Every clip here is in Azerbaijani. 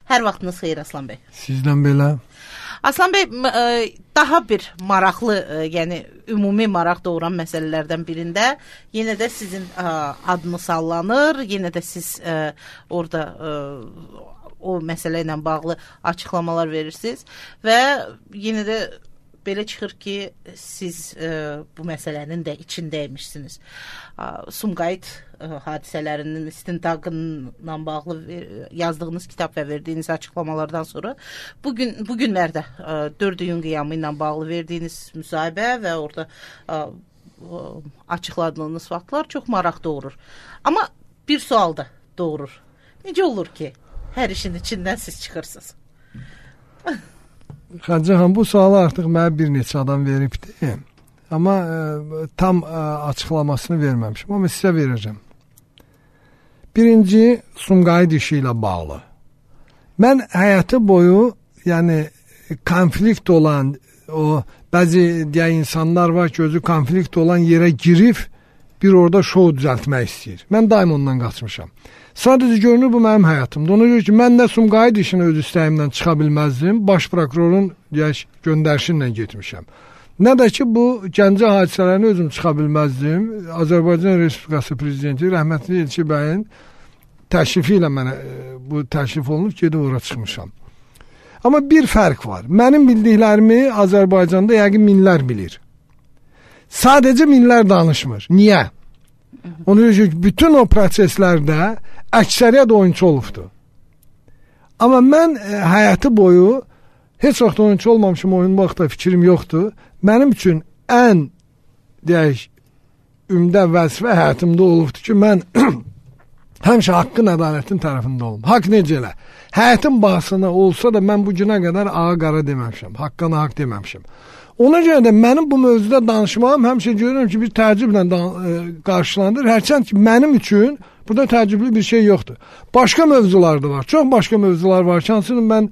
Hər vaxtınız xeyir Aslan bəy. Sizdən belə. Aslan bəy, daha bir maraqlı, yəni ümumi maraq doğuran məsələlərdən birində yenə də sizin adınız sallanır, yenə də siz orada o məsələ ilə bağlı açıqlamalar verirsiniz və yenə də belə çıxır ki, siz bu məsələnin də içindəymişsiniz. Sumqayıt hadisələrinin istintaqla bağlı yazdığınız kitab və verdiyiniz açıqlamalardan sonra bu günlərdə 4 iyun qiyamı ilə bağlı verdiyiniz müsahibə və orada açıqladığınız faktlar çox maraq doğurur. Amma bir sual da doğurur. Necə olur ki, hər işin içindən siz çıxırsınız? Xancan, bu sualı artıq mənə bir neçə adam veribdi. Amma tam açıqlamasını verməmişim. Amma sizə verəcəm. Birinci, Sumqayıt işi ilə bağlı. Mən həyatı boyu, yəni konflikt olan, o bəzi deyək insanlar var ki, özü konflikt olan yerə girib bir orada şou düzəltmək istəyir. Mən daim ondan qaçmışam. Sadəcə görünür bu mənim həyatımda. Ona görə ki, mən də Sumqayıt işini öz istəyimdən çıxa bilməzdim. Baş prokurorun göndərişi ilə getmişəm. Nə də ki, bu Gəncə hadisələrini özüm çıxa bilməzdim. Azərbaycan Respublikası Prezidenti rəhmətli Elçi bəyin təşrifi ilə mənə bu təşrif olunub, gedib ora çıxmışam. Amma bir fərq var. Mənim bildiklərimi Azərbaycanda yəqin minlər bilir. Sadəcə minlər danışmır. Niyə? Ona görə ki, bütün o proseslərdə əksəriyyət oyunçu olubdur. Amma mən həyatı boyu heç vaxt oyunçu olmamışım, oyunmaq da fikrim yoxdur. Mənim üçün ən deyək, ümdə vəzifə həyatımda olubdur ki, mən həmişə haqqın, ədalətin tərəfində olum. Haqq necə elə? Həyatın bahasına olsa da mən bu günə qədər ağa qara deməmişəm, haqqana haqq deməmişəm. Ona görə də mənim bu mövzuda danışmağım həmişə görürüm ki, bir təəccüblə qarşılanır. Hərçənd ki, mənim üçün burada təəccüblü bir şey yoxdur. Başqa mövzular da var. Çox başqa mövzular var. Hansının mən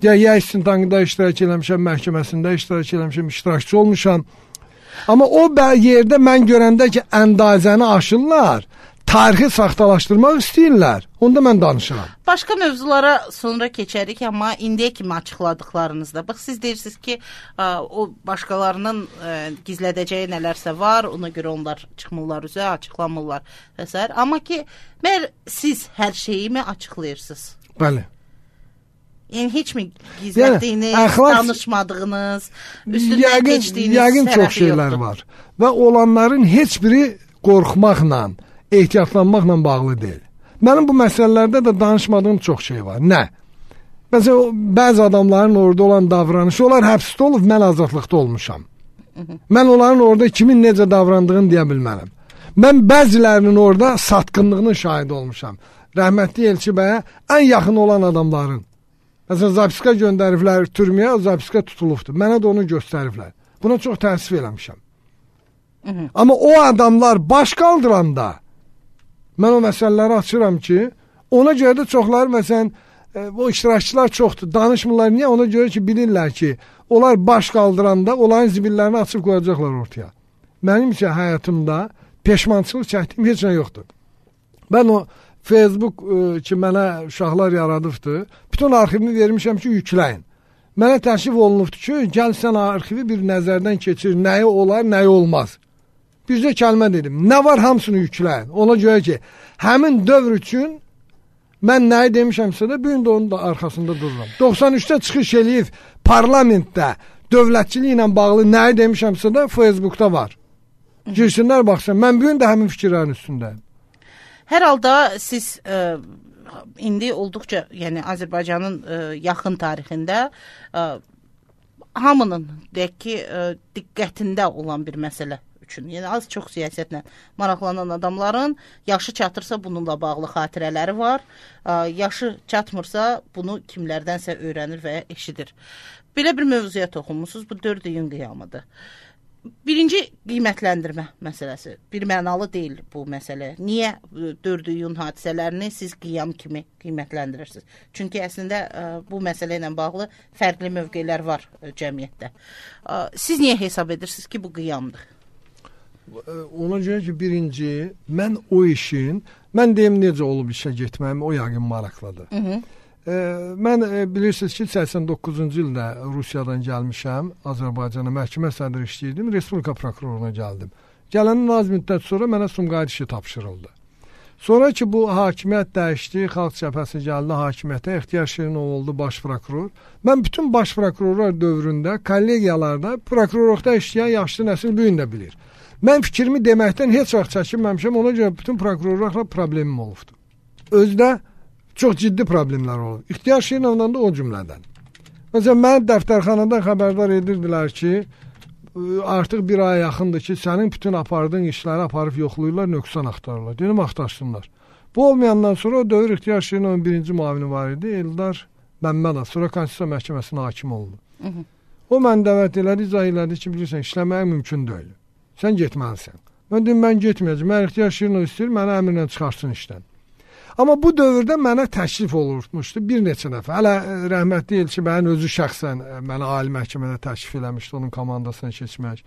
ya istintaqında iştirak eləmişəm, məhkəməsində iştirak eləmişəm, iştirakçı olmuşam. Amma o yerdə mən görəndə ki, əndazəni aşırlar, tarixi saxtalaşdırmaq istəyirlər. Onda mən danışıram. Başqa mövzulara sonra keçərik, amma indiyə kimi açıqladıqlarınızda. Bax, siz deyirsiniz ki, o başqalarının gizlədəcəyi nələrsə var, ona görə onlar çıxmırlar üzə, açıqlamırlar və s. Amma ki, siz hər şeyi mi açıqlayırsınız? Bəli. Yəni, heç mi gizlətdiyiniz, danışmadığınız, üstündən keçdiyiniz yəqin çox şeylər var. Və olanların heç biri qorxmaqla, ehtiyatlanmaqla bağlı deyil. Mənim bu məsələlərdə də danışmadığım çox şey var. Nə? Məsələn, bəzi adamların orada olan davranışı, onlar həbsdə olub, mən azadlıqda olmuşam. Mən onların orada kimin necə davrandığını deyə bilmərəm. Mən bəzilərinin orada satqınlığının şahidi olmuşam. Rəhmətli Elçi bəyə ən yaxın olan adamların. Məsələn, zapiska göndəriblər türməyə, o zapiska tutulubdur. Mənə də onu göstəriblər. Buna çox təəssüf eləmişəm. Amma o adamlar baş qaldıranda mən o məsələləri açıram ki, ona görə də çoxları, məsələn, o iştirakçılar çoxdur, danışmırlar. Niyə? Ona görə ki, bilirlər ki, onlar baş qaldıranda onların zibillərini açıb qoyacaqlar ortaya. Mənim isə həyatımda peşmançılıq çəkdiyim heç nə yoxdur. Mən o Facebook ki, mənə uşaqlar yaradıbdır, bütün arxivini vermişəm ki, yükləyin. Mənə təşrif olunubdur ki, gəl sən arxivi bir nəzərdən keçir, nəyi olar, nəyi olmaz. Bizdə kəlmə dedim. Nə var, hamısını yükləyin. Ona görə ki, həmin dövr üçün mən nəyi demişəmsə də, bu gün də onun da arxasında dururam. 93-də çıxış eləyib parlamentdə dövlətçilik ilə bağlı nəyi demişəmsə də Facebookda var. Girsinlər, baxsın. Mən bu gün də həmin fikirlərin üstündəyim. Hər halda siz indi olduqca, yəni Azərbaycanın yaxın tarixində hamının deyək ki, diqqətində olan bir məsələ üçün, yəni az-çox siyasətlə maraqlanan adamların yaşı çatırsa bununla bağlı xatirələri var, yaşı çatmırsa bunu kimlərdənsə öyrənir və eşidir. Belə bir mövzuya toxunmusunuz, bu 4 iyun qiyamıdır. Birinci qiymətləndirmə məsələsi. Bir mənalı deyil bu məsələ. Niyə 4 iyun hadisələrini siz qiyam kimi qiymətləndirirsiniz? Çünki əslində bu məsələ ilə bağlı fərqli mövqelər var cəmiyyətdə. Siz niyə hesab edirsiniz ki, bu qiyamdır? Ona görə ki, birinci, mən o işin, mən deyim necə olub işə getməyim, o yəqin maraqlıdır. mən bilirsiniz ki, 89-cu ildə Rusiyadan gəlmişəm, Azərbaycana məhkəmə sədri işləyirdim, Respublika prokuroruna gəldim. Gələndən az müddət sonra mənə Sumqayıt işi tapşırıldı. Sonra ki, bu hakimiyyət dəyişdi, Xalq Cəbhəsi gəldi hakimiyyətə, İxtiyar Şirinov oldu baş prokuror. Mən bütün baş prokurorlar dövründə, kollegiyalarda prokurorluqda işləyən yaşlı nəsil bu gün də bilir. Mən fikrimi deməkdən heç vaxt çəkinməmişəm, ona görə bütün prokurorlarla problemim olubdu. Özdə çox ciddi problemlər olub. İxtiyar Şirinovla da o cümlədən. Məsələn, mən dəftərxanadan xəbərdar edirdilər ki, artıq bir aya yaxındır ki, sənin bütün apardığın işləri aparıb yoxlayırlar, nöqsan axtarırlar. Dedim, axtarsınlar. Bu olmayandan sonra o dövr İxtiyar Şirinovun birinci müavini var idi, Eldar Məmmədov. Sonra Konstitusiya Məhkəməsinə hakim oldu. O mən dəvət elədi, izah elədi ki, bilirsən, işləməyə mümkün deyil. Sən getməlisən. Mən dedim, mən getməyəcəm. Mən İxtiyar Şirinov istəyir, mənə əmrlə çıxarsın işdən. Amma bu dövrdə mənə təklif olunmuşdu bir neçə dəfə. Hələ rəhmətli Elçi bəyin özü şəxsən mənə ali məhkəmədə təklif eləmişdi onun komandasına keçmək.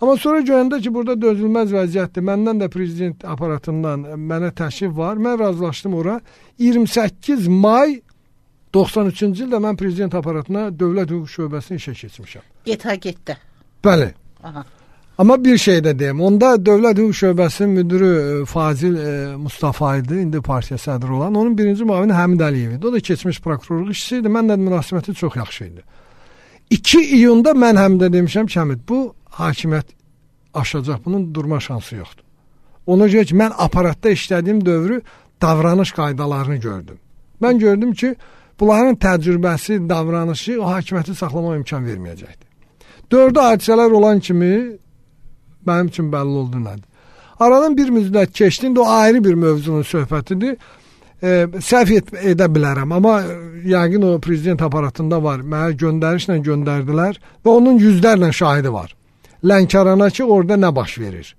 Amma sonra görəndə ki, burada dözülməz vəziyyətdir. Məndən də prezident aparatından mənə təklif var. Mən razılaşdım ora. 28 may 93-cü ildə mən prezident aparatına Dövlət Hüquq Şöbəsinə işə keçmişəm. Getdə. Bəli. Aha. Amma bir şey də deyim, onda Dövlət Hüquq Şöbəsinin müdürü Fazil Mustafa idi, indi partiya sədri olan. Onun birinci müavini Həmid Əliyev idi. O da keçmiş prokurorluq işçisi idi. Mənlə münasibəti çox yaxşı idi. 2 iyunda mən Həmidə demişəm ki, Həmid, bu hakimiyyət aşacaq, bunun durma şansı yoxdur. Ona görə ki, mən aparatda işlədiyim dövrü davranış qaydalarını gördüm. Mən gördüm ki, bunların təcrübəsi, davranışı o hakimiyyəti saxlama imkan verməyəcəkdir. 4 hadisələr olan kimi mənim üçün bəlli oldu nədir. Aradan bir müddət keçdi, indi o ayrı bir mövzunun söhbətidir. Səhv edə bilərəm, amma yəqin o prezident aparatında var. Mənə göndərişlə göndərdilər və onun yüzlərlə şahidi var. Lənkərana ki, orada nə baş verir.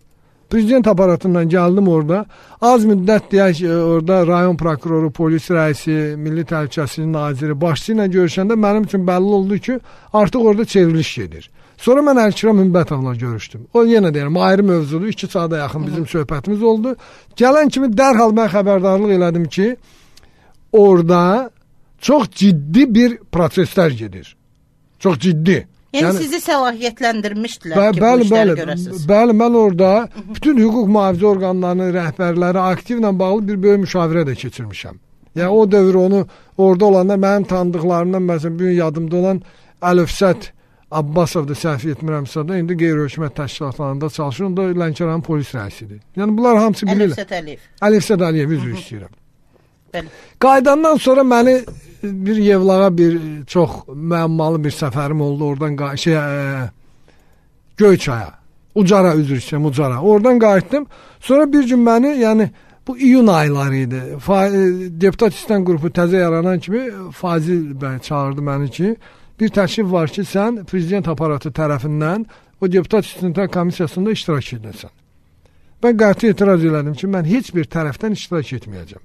Prezident aparatından gəldim orada. Az müddət deyək, orada rayon prokuroru, polis rəisi, Milli Təhlükəsizlik naziri başçı ilə görüşəndə mənim üçün bəlli oldu ki, artıq orada çevriliş gedir. Sonra mən Əlkiram Hümbətovla görüşdüm. O yenə deyirəm, ayrı mövzudur. 2 saata yaxın bizim söhbətimiz oldu. Gələn kimi dərhal mən xəbərdarlıq elədim ki, orada çox ciddi bir proseslər gedir. Çox ciddi. Yəni sizi səlahiyyətləndirmişdilər ki, bu işləri görəsiniz. Bəli, mən orada bütün hüquq mühafizə orqanlarının rəhbərləri aktivlə bağlı bir böyük müşavirə də keçirmişəm. Yəni o dövr onu orada olanda mənim tanıdıqlarımdan məsələn bu gün yadımda olan Əlifsət Abbasov da səhv etmirəmsə də indi qeyri-hökumət təşkilatlarında çalışır. O da Lənkəranın polis rəisidir. Yəni bunlar hamısı bilirlər. Əlifsət Əliyev üzr istəyirəm. Bəli. Qaydandan sonra məni bir Yevlağa bir çox müəmmalı bir səfərim oldu. Oradan Göyçaya, Ucara üzr istəyirəm, Ucara. Oradan qayıtdım. Sonra bir gün məni, yəni bu iyun ayları idi. Deputat İstən qrupu təzə yaranan kimi Fazil bəy çağırdı məni ki, bir təklif var ki, sən prezident aparatı tərəfindən o deputat istintaq komissiyasında iştirak edəsən. Mən qəti etiraz elədim ki, mən heç bir tərəfdən iştirak etməyəcəm.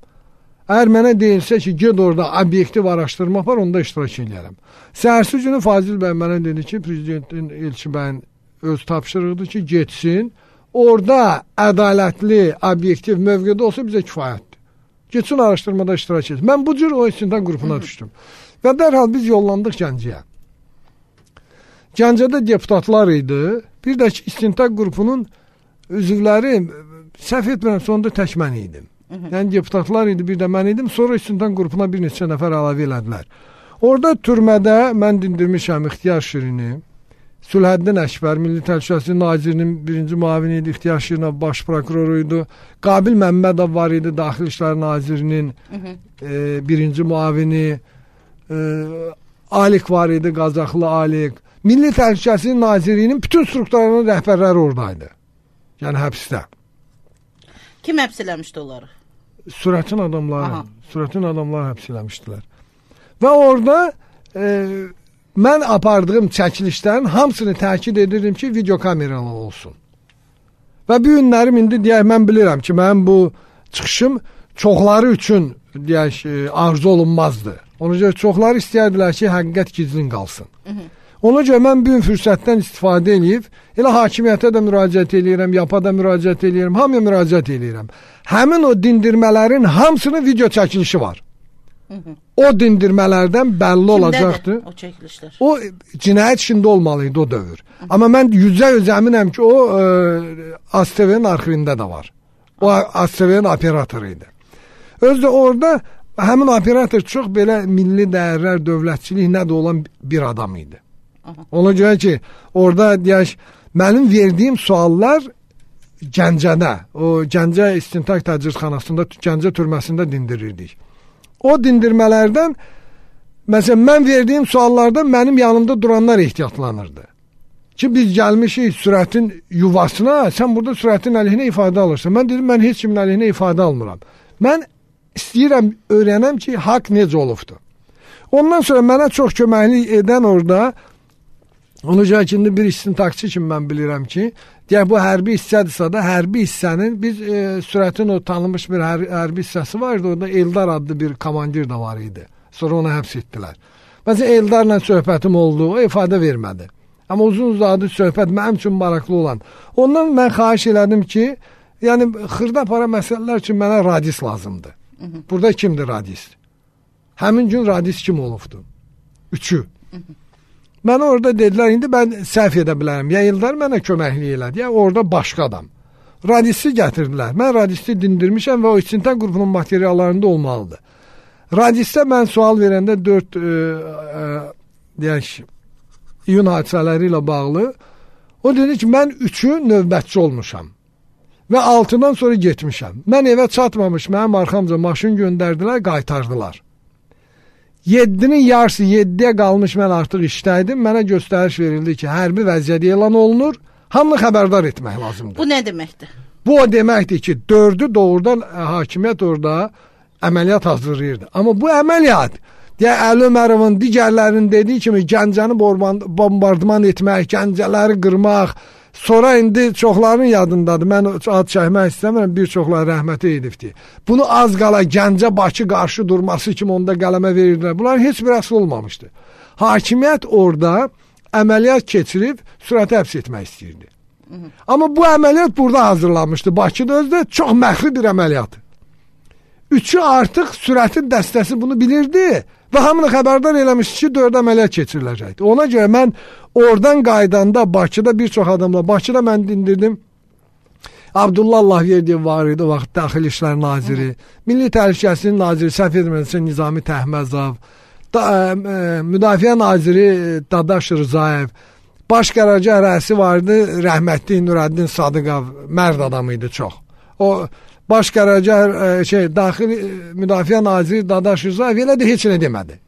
Əgər mənə deyilsə ki, ged orada obyektiv araşdırma var, onda iştirak edərəm. Səhərsi günü Fazil bəy mənə dedi ki, prezidentin Elçi bəyin öz tapşırıqdır ki, getsin. Orada ədalətli, obyektiv mövqedə olsa bizə kifayətdir. Getsin araşdırmada iştirak etsin. Mən bu cür o istintaq qrupuna düşdüm. Və dərhal biz yollandıq Gəncəyə. Gəncədə deputatlar idi. Bir də ki, istintaq qrupunun üzvləri, səhv etmirəm, sonunda tək mən idim. Yəni deputatlar idi, bir də mən idim. Sonra istintaq qrupuna bir neçə nəfər əlavə elədilər. Orada türmədə mən dindirmişəm İxtiyar Şirini, Sülhəddin Əkbər, Milli Təhlükəsizlik Nazirinin birinci müavini idi, İxtiyar Şirinov baş prokuroru idi. Qabil Məmmədov var idi, Daxili İşlər Nazirinin birinci müavini. Alik var idi, Qazaxlı Alik. Milli Təhlükəsizlik Nazirliyinin bütün strukturlarının rəhbərləri oradaydı. Yəni həbsdə. Kim həbs eləmişdi onları? Sürətin adamları həbs eləmişdilər. Və orada mən apardığım çəkilişlərin hamısını təkid edirdim ki, video kameralı olsun. Və bu günlərim indi deyək, mən bilirəm ki, mənim bu çıxışım çoxları üçün deyək, arzu olunmazdı. Ona görə çoxları istəyirdilər ki, həqiqət gizlin qalsın. Ona görə mən bu gün fürsətdən istifadə edib, elə hakimiyyətə də müraciət edirəm, YAPA da müraciət edirəm, hamıya müraciət edirəm. Həmin o dindirmələrin hamısının video çəkilişi var. O dindirmələrdən bəlli olacaqdır. O çəkilişlər? O cinayət işində olmalıydı o dövr. Amma mən %100 əminəm ki, o ASTV-nin arxivində də var. O ASTV-nin operatoru idi. Özdə orada həmin operator çox belə milli dəyərlər, dövlətçilik nə də olan bir adam idi. Ona görə ki, orada deyək, mənim verdiyim suallar Gəncədə, o Gəncə İstintaq Təcridxanasında, Gəncə türməsində dindirirdik. O dindirmələrdən, məsələn, mən verdiyim suallarda mənim yanımda duranlar ehtiyatlanırdı. Ki, biz gəlmişik sürətin yuvasına, sən burada sürətin əleyhinə ifadə alırsan. Mən dedim, mən heç kimin əleyhinə ifadə almıram. Mən istəyirəm, öyrənəm ki, haqq necə olubdur. Ondan sonra mənə çox köməklik edən orada, onu cəhətində bir istintaqçı kimi mən bilirəm ki, deyək, bu hərbi hissədirsə da, hərbi hissənin, biz sürətin o tanınmış bir hərbi hissəsi vardı, orada Eldar adlı bir komandir də var idi. Sonra onu həbs etdilər. Məsələn, Eldarla söhbətim oldu, o ifadə vermədi. Amma uzun-uzadı söhbət mənim üçün maraqlı olan. Ondan mən xahiş elədim ki, yəni xırda para məsələlər üçün mənə radis lazımdır. Burada kimdir radis? Həmin gün radis kim olubdur? Üçü. Mənə orada dedilər, indi mən səhv edə bilərəm. Ya Eldar mənə köməklik elədi, ya orada başqa adam. Radisi gətirdilər. Mən radisi dindirmişəm və o istintaq qrupunun materiallarında olmalıdır. Radisdə mən sual verəndə 4 deyək, iyun hadisələri ilə bağlı o dedi ki, mən 3'ü növbətçi olmuşam və 6'dan sonra getmişəm. Mən evə çatmamış, mənim arxamca maşın göndərdilər, qaytardılar. 7'nin yarısı 7'ye qalmış, mən artıq işdəydim. Mənə göstəriş verildi ki, hərbi vəziyyət elan olunur, hamını xəbərdar etmək lazımdır. Bu nə deməkdir? Bu o deməkdir ki, 4'ü doğrudan hakimiyyət orada əməliyyat hazırlayırdı. Amma bu əməliyyat, deyək, Əli Ömərovun digərlərinin dediyi kimi Gəncəni bombardman etmək, Gəncələri qırmaq, sonra indi çoxların yadındadır. Mən ad çəkmək istəmirəm, bir çoxları rəhmətə edibdir. Bunu az qala Gəncə-Bakı qarşı durması kimi onda qələmə verirdilər. Bunların heç bir əsl olmamışdı. Hakimiyyət orada əməliyyat keçirib sürəti həbs etmək istəyirdi. Amma bu əməliyyat burada hazırlanmışdı. Bakıda özdə çox məxfi bir əməliyyat. 3'ü artıq sürətin dəstəsi bunu bilirdi və hamını xəbərdar eləmişdi ki, 4 əməliyyat keçiriləcəkdi. Ona görə mən oradan qaydanda Bakıda bir çox adamla, Bakıda mən dindirdim. Abdullah Allahverdiyev var idi, o vaxt Daxili İşlər Naziri, Milli Təhlükəsizlik Naziri, səhv etmirəmsə Nizami Təhməzov, Müdafiə Naziri Dadaş Rzayev, Baş qərargah rəisi vardı, rəhmətli Nurəddin Sadıqov, mərd adam idi çox. O Baş qərargah Daxili Müdafiə Naziri Dadaş Rzayev elə də heç nə demədi.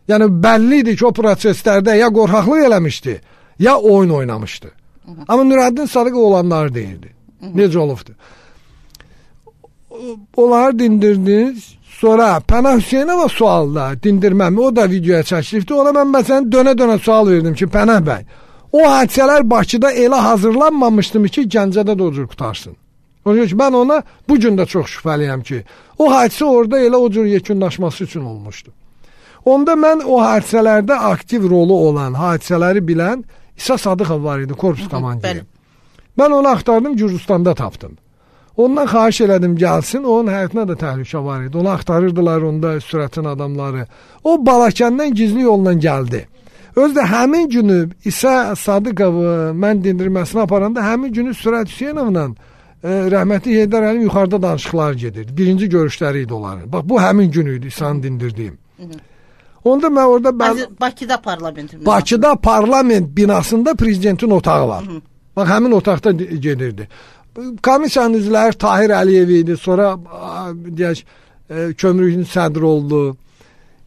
Yəni bəlli idi ki, o proseslərdə ya qorxaqlıq eləmişdi, ya oyun oynamışdı. Amma Nurəddin Sadıqov olanları deyirdi. Necə olubdu? Onları dindirdiniz. Sonra Pənah Hüseynova sualda dindirməmi, o da videoya çəkilibdi. Ona mən məsələn dönə-dönə sual verdim ki, Pənah bəy, o hadisələr Bakıda elə hazırlanmamışdı ki, Gəncədə də o cür qutarsın. Mən ona bu gün də çox şübhəliyəm ki, o hadisə orada elə o cür yekunlaşması üçün olmuşdu. Onda mən o hadisələrdə aktiv rolu olan, hadisələri bilən İsa Sadıqov var idi, korpus komandiri. Mən onu axtardım, Gürcüstanda tapdım. Ondan xahiş elədim gəlsin, onun həyatına da təhlükə var idi. Onu axtarırdılar, onda sürətin adamları. O Balakəndən gizli yolla gəldi. Özdə həmin günü İsa Sadıqovu mən dindirməsini aparanda, həmin günü Sürət Hüseynovla rəhmətli Heydər Əliyev yuxarıda danışıqlar gedirdi. Birinci görüşləri idi onların. Bax, bu həmin gün idi İsa'nı dindirdiyim. Onda mən orada... Bakıda parlament. Bakıda parlament binasında prezidentin otağı var. Bax, həmin otaqda gedirdi. Komissiyanın üzvləri Tahir Əliyev idi. Sonra deyək, kömrükün sədri oldu.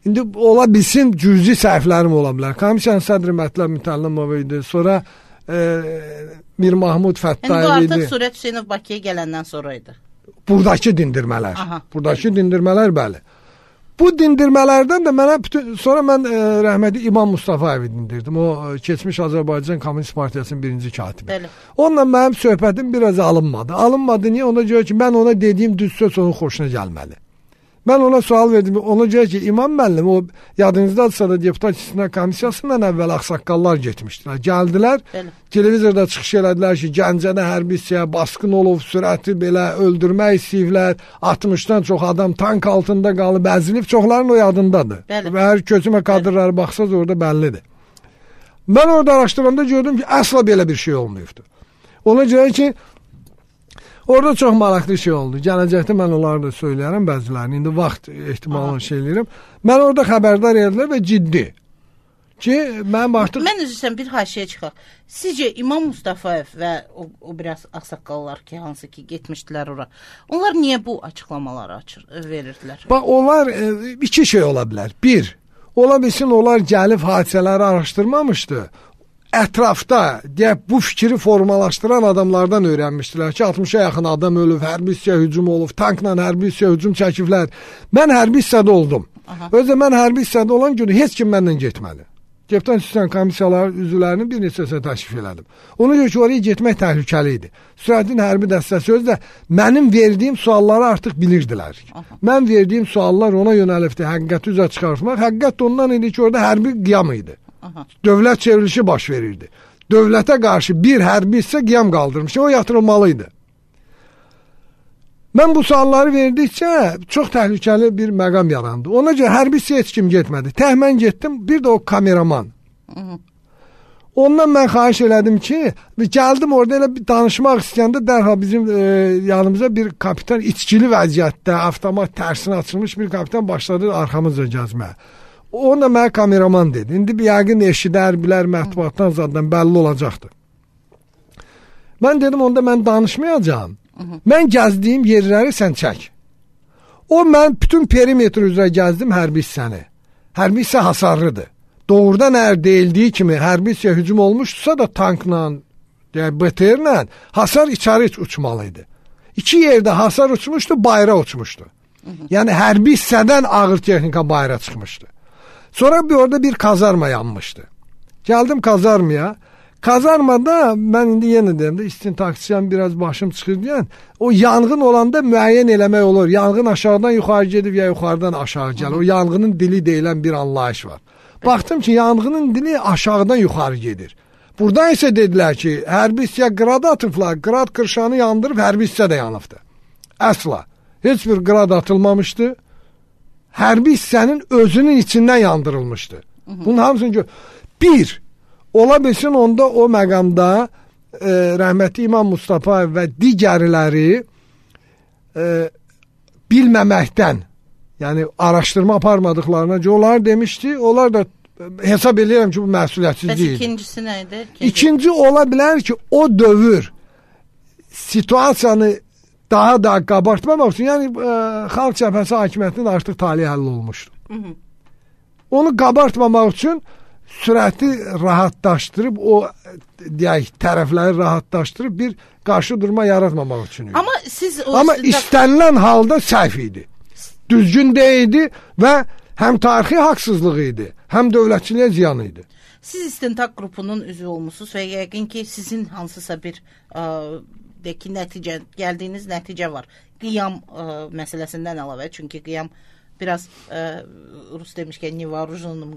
İndi ola bilsin cüzi səhvlərim ola bilər. Komissiyanın sədri Mətləb Mütəllimov idi. Sonra Mir Mahmud Fəttayev idi. Bu artıq Sürət Hüseynov Bakıya gələndən sonra idi. Buradakı dindirmələr. Buradakı dindirmələr, bəli. Bu dindirmələrdən də mənə sonra mən rəhmətli İmam Mustafayevi dindirdim. O keçmiş Azərbaycan Komünist Partiyasının birinci katibi. Bəli. Onunla mənim söhbətim biraz alınmadı. Alınmadı niyə? Ona görə ki, mən ona dediyim düz söz onun xoşuna gəlmədi. Mən ona sual verdim. Ona görə ki, İmam müəllim o yadınızdadırsa da deputat istisna komissiyasından əvvəl ağsaqqallar getmişdilər. Gəldilər, televizorda çıxış elədilər ki, Gəncədə hərbi hissəyə basqın olub, sürəti belə öldürmək istəyiblər. 60-dan çox adam tank altında qalıb, əzilib, çoxların o yadındadır. Və hər köçmə kadrları baxsaz orada bəllidir. Mən orada araşdıranda gördüm ki, əsla belə bir şey olmayıbdır. Ona görə ki, orada çox maraqlı şey oldu. Gələcəkdə mən onları da söyləyərəm bəzilərini. İndi vaxt ehtimalı şey eləyirəm. Mən orada xəbərdar edilər və ciddi. Ki, mən artıq... Mən üzrsən bir haşiyə çıxaq. Sizcə İmam Mustafayev və o biraz ağsaqqallar ki, hansı ki getmişdilər ora. Onlar niyə bu açıqlamaları verirdilər? Bax, onlar iki şey ola bilər. Bir, ola bilsin onlar gəlib hadisələri araşdırmamışdı. Ətrafda deyək, bu fikri formalaşdıran adamlardan öyrənmişdilər ki, 60-a yaxın adam ölüb, hərbi hissəyə hücum olub, tankla hərbi hissəyə hücum çəkiblər. Mən hərbi hissədə oldum. Özdə mən hərbi hissədə olan günü heç kim məndən getmədi. Deputat istisna komissiyaları üzvlərinin bir neçəsinə təşrif elədim. Ona görə ki, oraya getmək təhlükəli idi. Sürətin hərbi dəstəsi özdə mənim verdiyim sualları artıq bilirdilər. Mən verdiyim suallar ona yönəlibdi, həqiqəti üzə çıxartmaq. Həqiqət ondan idi ki, orada hərbi qiyam idi. Dövlət çevrilişi baş verirdi. Dövlətə qarşı bir hərbi hissə qiyam qaldırmışdı. O yatırılmalıydı. Mən bu sualları verdikcə çox təhlükəli bir məqam yarandı. Ona görə hərbi hissə heç kim getmədi. Tək mən getdim, bir də o kameraman. Ondan mən xahiş elədim ki, gəldim orada elə bir danışmaq istəyəndə dərhal bizim yanımıza bir kapitan içkili vəziyyətdə, avtomat tərsinə açılmış bir kapitan başladı arxamızca gəzməyə. Onda mənə kameraman dedi. İndi bir yəqin eşidər, bilər, mətbuatdan zaten bəlli olacaqdı. Mən dedim, onda mən danışmayacağım. Mən gəzdiyim yerləri sən çək. O, mən bütün perimetr üzrə gəzdim hərbi hissəni. Hərbi hissə hasarlıdır. Doğrudan əgər deyildiyi kimi hərbi hissəyə hücum olmuşdursa da tankla, BTR-lə hasar içəri uçmalıydı. İki yerdə hasar uçmuşdu, bayra uçmuşdu. Yəni hərbi hissədən ağır texnika bayra çıxmışdı. Sonra orada bir kazarma yanmışdı. Geldim kazarmaya. Kazarmada ben indi yenə deyim də istintaksiyam biraz başım çıxır deyən, o yanğın olanda müəyyən eləmək olur. Yanğın aşağıdan yuxarı gedib ya yuxarıdan aşağı gəlir. O yanğının dili deyilən bir anlayış var. Baxdım ki, yanğının dili aşağıdan yuxarı gedir. Buradan isə dedilər ki, hərbi hissəyə qrad atıblar. Qrad qırşanı yandırıb hərbi hissə də yanıbdı. Əsla. Heç bir qrad atılmamışdı. Hərbi hissənin özünün içindən yandırılmışdı. Bunun hamısını gör. Bir, ola bilsin onda o məqamda rəhmətli İmam Mustafayev və digərləri bilməməkdən, yəni araşdırma aparmadıqlarına onlar demişdi, onlar da hesab edirəm ki, bu məsuliyyətsiz deyil. İkincisi nə idi? İkinci ola bilər ki, o dövr situasiyanı daha da qabartmamaq üçün, yəni Xalq Cəbhəsi hakimiyyətinin artıq talihi həll olmuşdu. Onu qabartmamaq üçün sürəti rahatlaşdırıb, o deyək, tərəfləri rahatlaşdırıb bir qarşı durma yaratmamaq üçün. Amma istənilən halda səhv idi. Düzgün deyildi və həm tarixi haqsızlıq idi, həm dövlətçiliyə ziyan idi. Siz istintaq qrupunun üzvü olmusunuz və yəqin ki, sizin hansısa bir gəldiyiniz nəticə var. Qiyam məsələsindən əlavə, çünki qiyam biraz Rus demişkən nevarujunum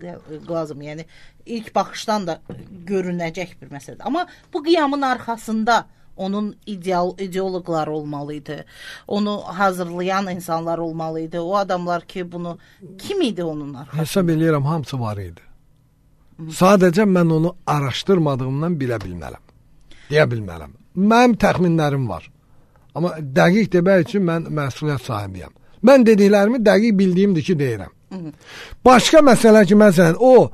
qlazım, yəni ilk baxışdan da görünəcək bir məsələdir. Amma bu qiyamın arxasında onun ideoloqları olmalıydı. Onu hazırlayan insanlar olmalıydı. O adamlar ki, bunu kim idi onun arxasında? Hesab eləyirəm, hamısı var idi. Sadəcə mən onu araşdırmadığımdan bilə bilmərəm. Deyə bilmərəm. Mənim təxminlərim var. Amma dəqiq demək üçün mən məsuliyyət sahibiyəm. Mən dediklərimi dəqiq bildiyimdir ki, deyirəm. Başqa məsələ ki, məsələn, o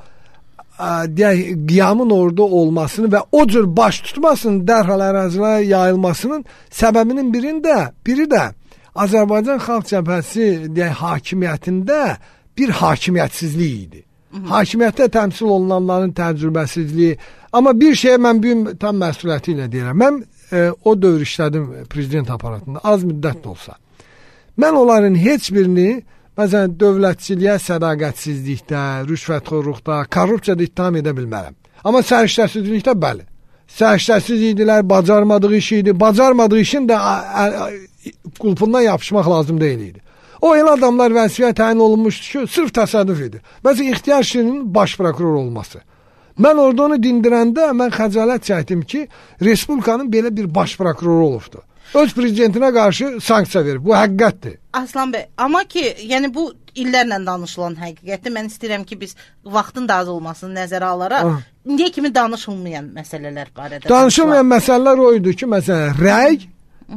qiyamın orada olmasını və o cür baş tutmasının dərhal ərazilərə yayılmasının səbəbinin biri də Azərbaycan Xalq Cəbhəsi hakimiyyətində bir hakimiyyətsizlik idi. Hakimiyyətdə təmsil olunanların təcrübəsizliyi. Amma bir şeyə mən tam məsuliyyəti ilə deyirəm. Mən o dövr işlədim prezident aparatında, az müddət də olsa. Mən onların heç birini, məsələn, dövlətçiliyə sədaqətsizlikdə, rüşvətxorluqda, korrupsiyada ittiham edə bilmərəm. Amma səriştəsizlikdə bəli. Səriştəsiz idilər, bacarmadığı iş idi. Bacarmadığı işin də qulpundan yapışmaq lazım deyil idi. O elə adamlar vəzifəyə təyin olunmuşdu ki, sırf təsadüf idi. Məsələn, İxtiyar Şirinin baş prokuror olması. Mən orada onu dindirəndə mən xəcalət çəkdim ki, Respublikanın belə bir baş prokuroru olubdu. Öz prezidentinə qarşı sanksiya verib. Bu həqiqətdir. Aslan bəy, amma ki, yəni bu illərlə danışılan həqiqətdir. Mən istəyirəm ki, biz vaxtın da az olmasını nəzərə alaraq, indiyə kimi danışılmayan məsələlər barədə. Danışılmayan məsələlər o idi ki, məsələn, rəy,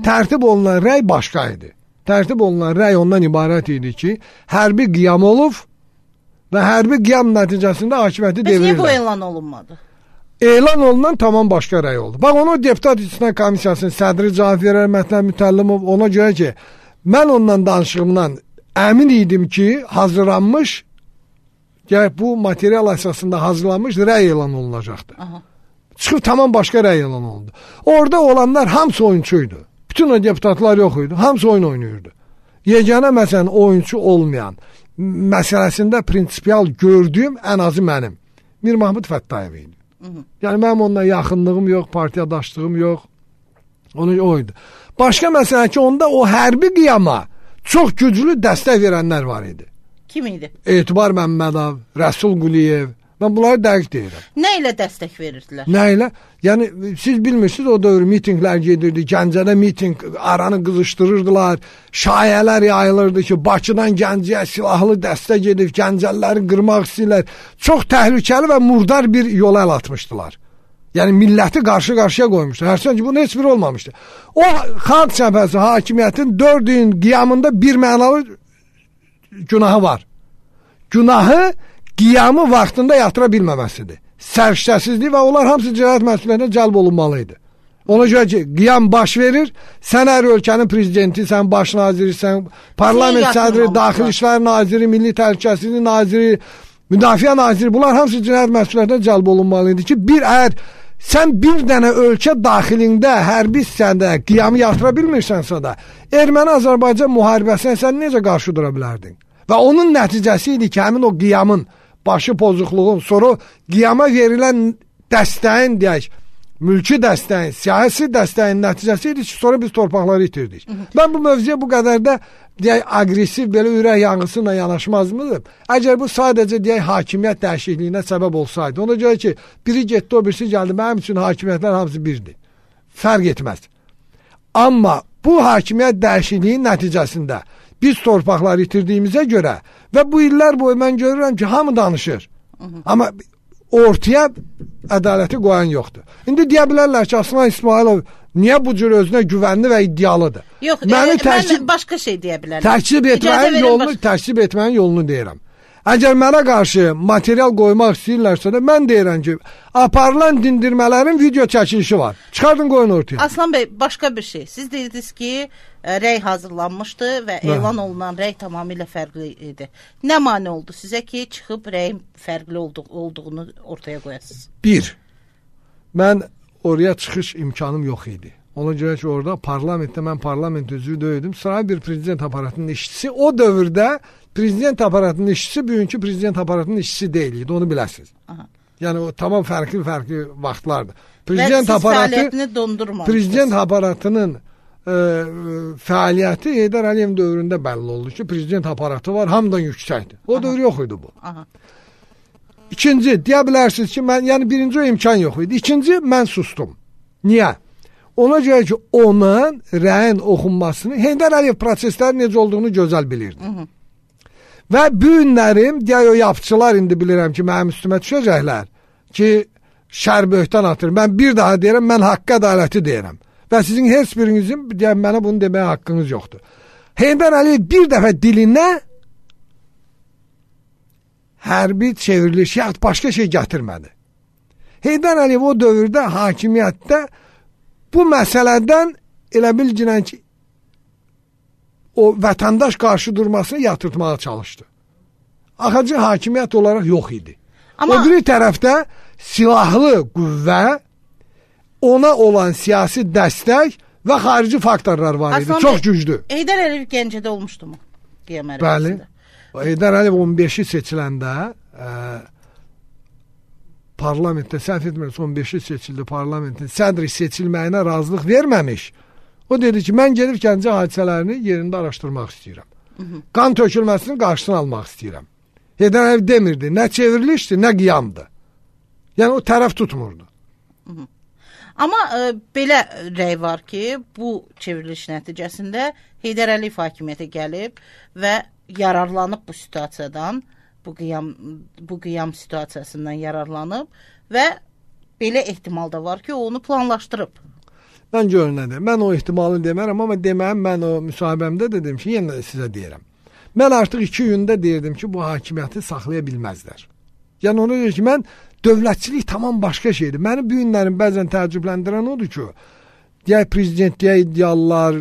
tərtib olunan rəy başqa idi. Tərtib olunan rəy ondan ibarət idi ki, hərbi qiyam olub və hərbi qiyam nəticəsində hakimiyyəti devirirlər. Bəs niyə bu elan olunmadı? Elan olunan tamam başqa rəy oldu. Bax, onu Deputat İstinaq Komissiyasının sədri cavab verər Mətləb Mütəllimov ona görə ki, mən ondan danışığımdan əmin idim ki, hazırlanmış, bu material əsasında hazırlanmış rəy elan olunacaqdı. Çıxıb tamam başqa rəy elan olundu. Orada olanlar hamısı oyunçuydu. Bütün o deputatlar yox idi. Hamısı oyun oynayırdı. Yeganə məsələn oyunçu olmayan məsələsində prinsipial gördüyüm ən azı mənim Mir Mahmud Fəttayev idi. Yəni mənim onunla yaxınlığım yox, partiyadaşlığım yox. Onu oydu. Başqa məsələ ki, onda o hərbi qiyama çox güclü dəstək verənlər var idi. Kim idi? Etibar Məmmədov, Rəsul Quliyev. Mən bunları dəqiq deyirəm. Nə ilə dəstək verirdilər? Nə ilə? Yəni siz bilmirsiniz, o dövr mitinqlər gedirdi. Gəncədə mitinq aranı qızışdırırdılar. Şayələr yayılırdı ki, Bakıdan Gəncəyə silahlı dəstək gedib Gəncəliləri qırmaq istəyirlər. Çox təhlükəli və murdar bir yola əl atmışdılar. Yəni milləti qarşı-qarşıya qoymuşdu. Hərçənd ki, bunun heç biri olmamışdı. O xalq cəbhəsi hakimiyyətin 4 gün qiyamında bir mənalı günahı var. Günahı qiyamı vaxtında yatıra bilməməsidir. Səriştəsizlik və onlar hamısı cinayət məsuliyyətinə cəlb olunmalıydı. Ona görə ki, qiyam baş verir, sən hər ölkənin prezidenti, sən baş naziri, sən parlament sədri, daxili işlər naziri, milli təhlükəsizlik naziri, müdafiə naziri, bunlar hamısı cinayət məsuliyyətinə cəlb olunmalıydı ki, əgər sən bir dənə ölkə daxilində, hərbi hissədə qiyamı yatıra bilmirsənsə də, Erməni-Azərbaycan müharibəsinə sən necə qarşı dura bilərdin? Və onun nəticəsi idi ki, həmin o qiyamın başı pozuqluğun, sonra qiyama verilən dəstəyin, deyək, mülki dəstəyin, siyasi dəstəyin nəticəsi idi ki, sonra biz torpaqları itirdik. Mən bu mövzuya bu qədər də, deyək, agresiv, belə ürək yanğısıyla yanaşmazmıdır. Əgər bu sadəcə, deyək, hakimiyyət dəyişikliyinə səbəb olsaydı, ona görə ki, biri getdi, o birisi gəldi, mənim üçün hakimiyyətlər hamısı birdir. Fərq etməz. Amma bu hakimiyyət dəyişikliyin nəticəsində biz torpaqları itirdiyimizə görə və bu illər boyu mən görürəm ki, hamı danışır. Amma ortaya ədaləti qoyan yoxdur. İndi deyə bilərlər ki, Aslan İsmailov niyə bu cür özünə güvənli və iddialıdır? Yox, mən başqa şey deyə bilərəm. Təksib etməyin yolunu deyirəm. Əgər mənə qarşı material qoymaq istəyirlərsə də mən deyirəm ki, aparılan dindirmələrin video çəkilişi var. Çıxardın qoyun ortaya. Aslan bəy, başqa bir şey. Siz deyirdiniz ki, rəy hazırlanmışdı və elan olunan rəy tamamilə fərqli idi. Nə mane oldu sizə ki, çıxıb rəyin fərqli olduğunu ortaya qoyasınız? 1. Mən oraya çıxış imkanım yox idi. Ona görə ki, orada parlamentdə mən parlament üzvü deyildim. Saray bir prezident aparatının işçisi. O dövrdə prezident aparatının işçisi bugünkü prezident aparatının işçisi deyildi. Onu biləsiniz. Yəni o tamam fərqli vaxtlardır. Prezident fəaliyyətini dondurmamışdı. Prezident aparatının fəaliyyəti Heydər Əliyev dövründə bəlli oldu ki, prezident aparatı var, hamıdan yüksəkdir. O dövr yox idi bu. İkinci, deyə bilərsiniz ki, yəni birinci o imkan yox idi. İkinci, mən sustum. Niyə? Ona görə ki, onun rəyin oxunmasını, Heydər Əliyev prosesləri necə olduğunu gözəl bilirdi. Və bu günlərim, deyək o yapıcılar indi bilirəm ki, mənim üstümə düşəcəklər ki, şər böhtən atır. Mən bir daha deyirəm, mən haqq ədaləti deyirəm. Və sizin heç birinizin deyək, mənə bunu deməyə haqqınız yoxdur. Heydər Əliyev bir dəfə dilinə hərbi çevriliş, yaxud başqa şey gətirmədi. Heydər Əliyev o dövrdə hakimiyyətdə bu məsələdən elə bilginən ki, o vətəndaş qarşı durmasını yatırtmağa çalışdı. Axıcı hakimiyyət olaraq yox idi. Amma o bir tərəfdə silahlı qüvvə, ona olan siyasi dəstək və xarici faktorlar var idi. Çox güclü. Heydər Əliyev Gəncədə olmuşdu mu? Bəli. Heydər Əliyev 15-i seçiləndə parlamentdə, səhv etmirəm, 15-i seçildi parlamentin, sədri seçilməyinə razılıq verməmiş. O dedi ki, mən gedib Gəncə hadisələrini yerində araşdırmaq istəyirəm. Qan tökülməsinin qarşısını almaq istəyirəm. Heydər Əliyev demirdi, nə çevrilişdir, nə qiyamdır. Yəni o tərəf tutmurdu. Amma belə rəy var ki, bu çevriliş nəticəsində Heydər Əliyev hakimiyyətə gəlib və yararlanıb bu situasiyadan, bu qiyam situasiyasından yararlanıb və belə ehtimal da var ki, o onu planlaşdırıb. Mən görünədir. Mən o ehtimalı demərəm, amma deməyəm, mən o müsahibəmdə dedim ki, yenə də sizə deyirəm. Mən artıq 2 gündə deyirdim ki, bu hakimiyyəti saxlaya bilməzlər. Yəni ona görə ki, mən dövlətçilik tamam başqa şeydir. Məni bu günlərin bəzən təəccübləndirən odur ki, deyək prezidentliyə iddialılar,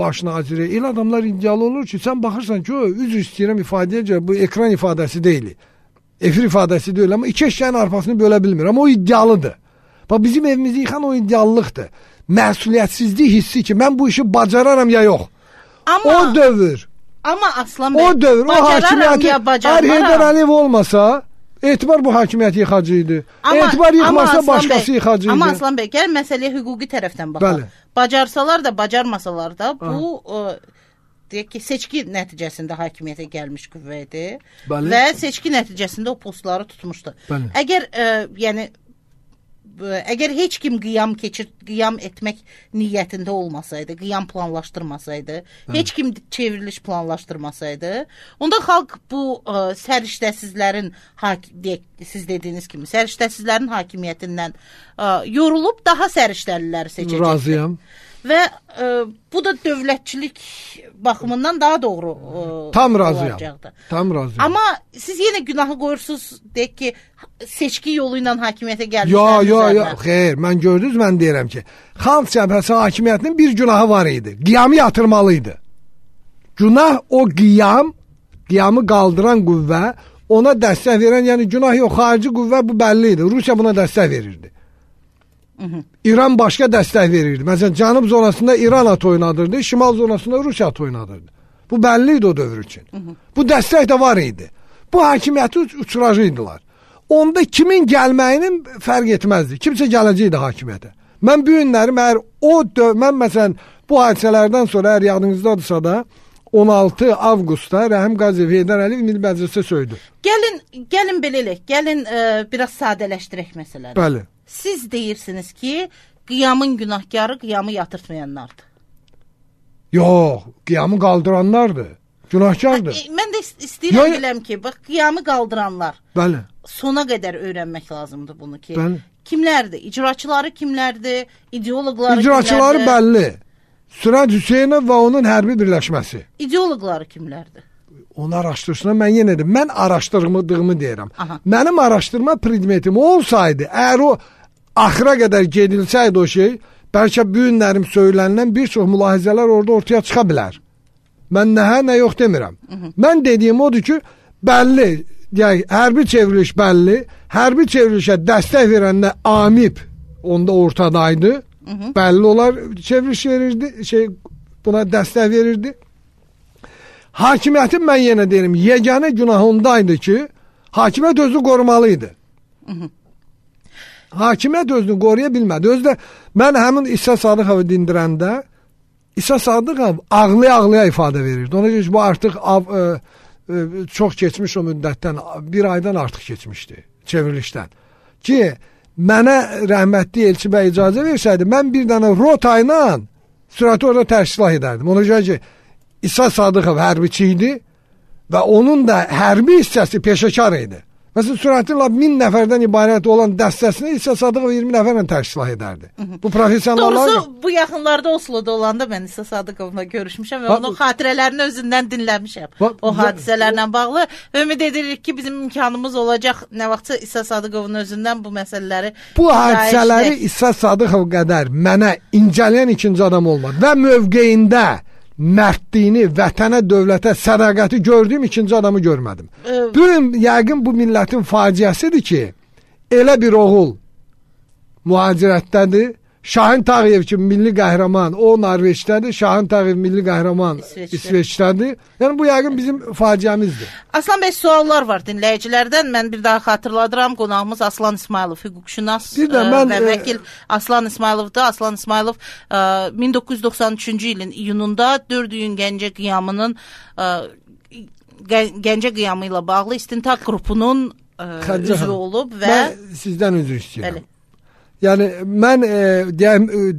baş naziri, elə adamlar iddialı olur ki, sən baxırsan ki, üzr istəyirəm ifadəyə görə, bu ekran ifadəsi deyil. Efir ifadəsi deyil, amma 2 eşyənin arpasını bölə bilmir, amma o iddialıdır. Bax, bizim evimizi yıxan o iddialılıqdır. Məsuliyyətsizlik hissi ki, mən bu işi bacararam ya yox. Amma, o dövr. Amma Aslan bəy, o dövr, o hakimiyyəti, hər Heydər Əliyev olmasa, etibar bu hakimiyyət yıxacıydı. Etibar yıxmasa başqası yıxacıydı. Amma Aslan bəy, gəl məsələyə hüquqi tərəfdən baxaq. Bacarsalar da, bacarmasalar da, bu deyək ki, seçki nəticəsində hakimiyyətə gəlmiş qüvvə idi və seçki nəticəsində o postları tutmuşdu. Əgər heç kim qiyam etmək niyyətində olmasaydı, qiyam planlaşdırmasaydı, heç kim çevriliş planlaşdırmasaydı, onda xalq bu səriştəsizlərin, siz dediyiniz kimi, səriştəsizlərin hakimiyyətindən yorulub daha səriştəliləri seçəcəkdir. Razıyam. Və bu da dövlətçilik baxımından daha doğru tam razıyam. Tam razıyam. Amma siz yenə günahı qoyursunuz, deyək ki, seçki yolu ilə hakimiyyətə gəlmişlər. Yox, xeyr, mən gördünüz, mən deyirəm ki, Xalq Cəbhəsi hakimiyyətinin bir günahı var idi. Qiyamı yatırmalıydı. Günah o qiyamı qaldıran qüvvə, ona dəstək verən, yəni günah yox, xarici qüvvə bu bəlli idi. Rusiya buna dəstək verirdi. İran başqa dəstək verirdi. Məsələn, cənub zonasında İran at oynadırdı, şimal zonasında Rusiya at oynadırdı. Bu bəlli idi o dövr üçün. Bu dəstək də var idi. Bu hakimiyyəti uçuracaqdılar. Onda kimin gəlməyinin fərq etməzdi. Kimsə gələcəkdi hakimiyyətə. Mən bu günləri, mən məsələn, bu hadisələrdən sonra, əgər yadınızdadırsa da, 16 avqustda Rəhim Qaziyev Heydər Əliyev Milli Məclisə söydü. Gəlin belə elək, gəlin biraz sadələşdirək məsələləri. Bəli. Siz deyirsiniz ki, qiyamın günahkarı qiyamı yatırtmayanlardır. Yox, qiyamı qaldıranlardır. Günahkardır. Mən də istəyirəm biləm ki, bax, qiyamı qaldıranlar. Bəli. Sona qədər öyrənmək lazımdır bunu ki. Bəli. Kimlərdir? İcraçıları kimlərdir? İdeoloqları İcraçıları bəlli. Sürət Hüseynov və onun hərbi birləşməsi. İdeoloqları kimlərdir? Onu araşdırsınlar, mən yenə də, mən araşdırdığımı deyirəm. Mənim araşdırma predmetim olsaydı, əgər o axıra qədər gedilsəydi o şey, bəlkə bu günlərim söylənilən bir çox mülahizələr orada ortaya çıxa bilər. Mən nə yox demirəm. Mən dediyim odur ki, bəlli, deyək, hərbi çevriliş bəlli, hərbi çevrilişə dəstək verənlə AMİP onda ortadaydı, bəlli olar çevriliş verirdi, buna dəstək verirdi. Hakimiyyətin mən yenə deyirəm, yeganə günah ondaydı ki, hakimiyyət özünü qorumalıydı. Hakimiyyət özünü qoruya bilmədi. Özdə mən həmin İsa Sadıqovu dindirəndə, İsa Sadıqov ağlaya ifadə verirdi. Ona görə ki, bu artıq çox keçmiş o müddətdən, bir aydan artıq keçmişdi çevrilişdən. Ki, mənə rəhmətli Elçi bəy icazə versəydi, mən bir dənə rota ilə sürəti orada təşkilat edərdim. Ona görə ki, İsa Sadıqov hərbiçi idi və onun da hərbi hissəsi peşəkar idi. Məsələn, sürətin 1000 nəfərdən ibarət olan dəstəsini İsa Sadıqov 20 nəfərlə təşkilat edərdi. Bu professionallar... Doğrusu, bu yaxınlarda Oslo'da olanda mən İsa Sadıqovla görüşmüşəm və onun xatirələrini özündən dinləmişəm. O hadisələrlə bağlı. Ümid edirik ki, bizim imkanımız olacaq nə vaxtsa İsa Sadıqovun özündən bu məsələləri... Bu hadisələri İsa Sadıqov qədər mənə incələyən ikinci adam olmadı və mövqeyində mərdliyini, vətənə, dövlətə, sədaqəti gördüyüm ikinci adamı görmədim. Yəqin bu millətin faciəsidir ki, elə bir oğul mühacirətdədir. Şahin Tağıyev kimi milli qəhrəman, o Norveçdədir. Şahin Tağıyev milli qəhrəman İsveçdədir. Yəni bu yəqin bizim faciəmizdir. Aslan bəy, suallar var dinləyicilərdən. Mən bir daha xatırladıram. Qonağımız Aslan İsmayılov, hüquqşünas və vəkil Aslan İsmayılovdur. Aslan İsmayılov 1993-cü ilin iyununda 4 iyun Gəncə qiyamının Gəncə qiyamı ilə bağlı istintaq qrupunun üzvü olub və mən sizdən üzr istəyirəm. Bəli. Yəni mən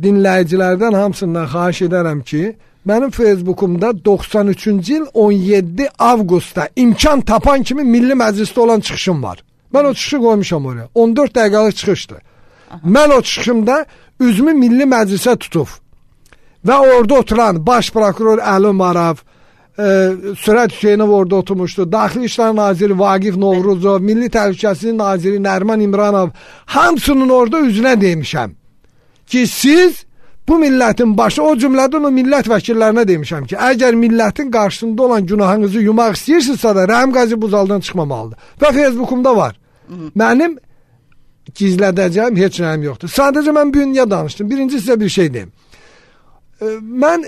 dinləyicilərdən hamısından xahiş edərəm ki, mənim Facebookumda 93-cü il 17 avqustda imkan tapan kimi Milli Məclisdə olan çıxışım var. Mən o çıxışı qoymuşam oraya. 14 dəqiqəlik çıxışdır. Mən o çıxışımda üzümü Milli Məclisə tutub və orada oturan baş prokuror Əli Marav, Sürət Hüseynov orada oturmuşdu. Daxili İşlər Naziri Vaqif Novruzov, Milli Təhlükəsizlik Naziri Nərman İmranov, hamısının orada üzünə demişəm ki, siz bu millətin başı, o cümlədən o millət vəkillərinə demişəm ki, əgər millətin qarşısında olan günahınızı yumaq istəyirsinizsə də Rəhim Qazi Buzaldan çıxmamalıdır. Və Facebookumda var. Mənim gizlədəcəyim heç nəyim yoxdur. Sadəcə mən bu gün niyə danışdım? Birinci sizə bir şey deyim. Mən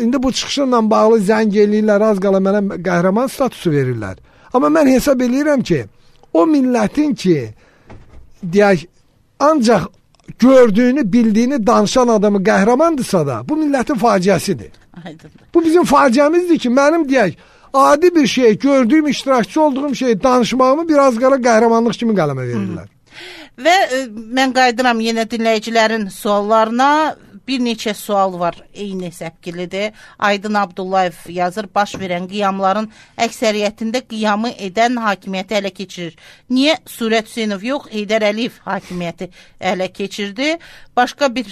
indi bu çıxışımla bağlı zəng eləyirlər, az qala mənə qəhrəman statusu verirlər. Amma mən hesab eləyirəm ki, o millətin ki, deyək, ancaq gördüyünü, bildiyini danışan adamı qəhrəmandırsa da, bu millətin faciəsidir. Aydındır. Bu bizim faciəmizdir ki, mənim deyək, adi bir şey, gördüyüm, iştirakçı olduğum şey, danışmağımı biraz qala qəhrəmanlıq kimi qələmə verirlər. Və mən qayıdıram yenə dinləyicilərin suallarına. Bir neçə sual var, eyni səpkilidir. Aydın Abdullayev yazır, baş verən qiyamların əksəriyyətində qiyamı edən hakimiyyəti ələ keçirir. Niyə Surət Hüseynov yox, Heydər Əliyev hakimiyyəti ələ keçirdi? Başqa bir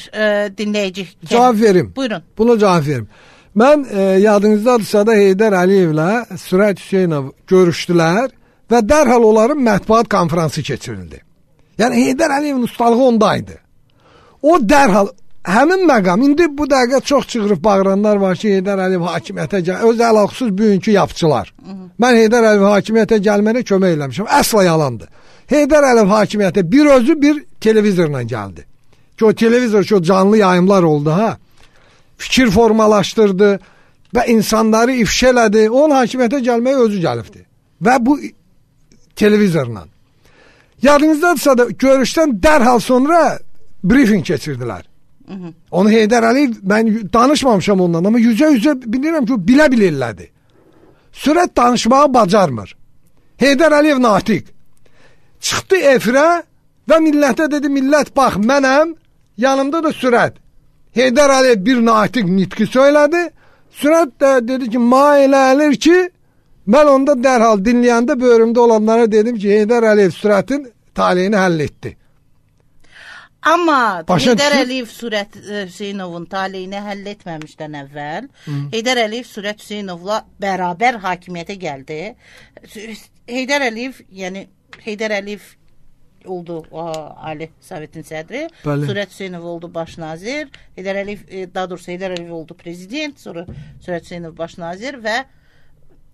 dinləyici. Cavab verim. Buyurun. Buna cavab verim. Mən yadınızdadırsa da Heydər Əliyevlə Sürət Hüseynov görüşdülər və dərhal onların mətbuat konfransı keçirildi. Yəni Heydər Əliyevin ustalığı ondaydı. O dərhal həmin məqam, indi bu dəqiqə çox çığırıb bağıranlar var ki, Heydər Əliyev hakimiyyətə öz əlaqsız bugünkü yapçılar. Mən Heydər Əliyev hakimiyyətə gəlmənə kömək eləmişəm. Əsla yalandır. Heydər Əliyev hakimiyyətə bir özü bir televizorla gəldi. Ki o televizor ki o canlı yayımlar oldu ha. Fikir formalaşdırdı və insanları ifşa elədi. Onun hakimiyyətə gəlməyə özü gəlibdi. Və bu televizorla. Yadınızdadırsa da görüşdən dərhal sonra briefing keçirdilər. Onu Heydər Əliyev, mən danışmamışam ondan, amma yüzə bilirəm ki, bilə-bilirlədi. Sürət danışmağı bacarmır. Heydər Əliyev natiq. Çıxdı efirə və millətə dedi, millət bax, mənəm, yanımda da Sürət. Heydər Əliyev bir natiq nitqi söylədi. Sürət də dedi ki, elə əlir ki, mən onda dərhal dinləyəndə bölümdə olanlara dedim ki, Heydər Əliyev Sürətin taleyini həll etdi. Amma Heydər Əliyev Surət Hüseynovun taleyini həll etməmişdən əvvəl Heydər Əliyev Surət Hüseynovla bərabər hakimiyyətə gəldi. Heydər Əliyev, yəni Heydər Əliyev oldu Ali Sovetin sədri, Surət Hüseynov oldu baş nazir, Heydər Əliyev, daha doğrusu Heydər Əliyev oldu prezident, sonra Surət Hüseynov baş nazir və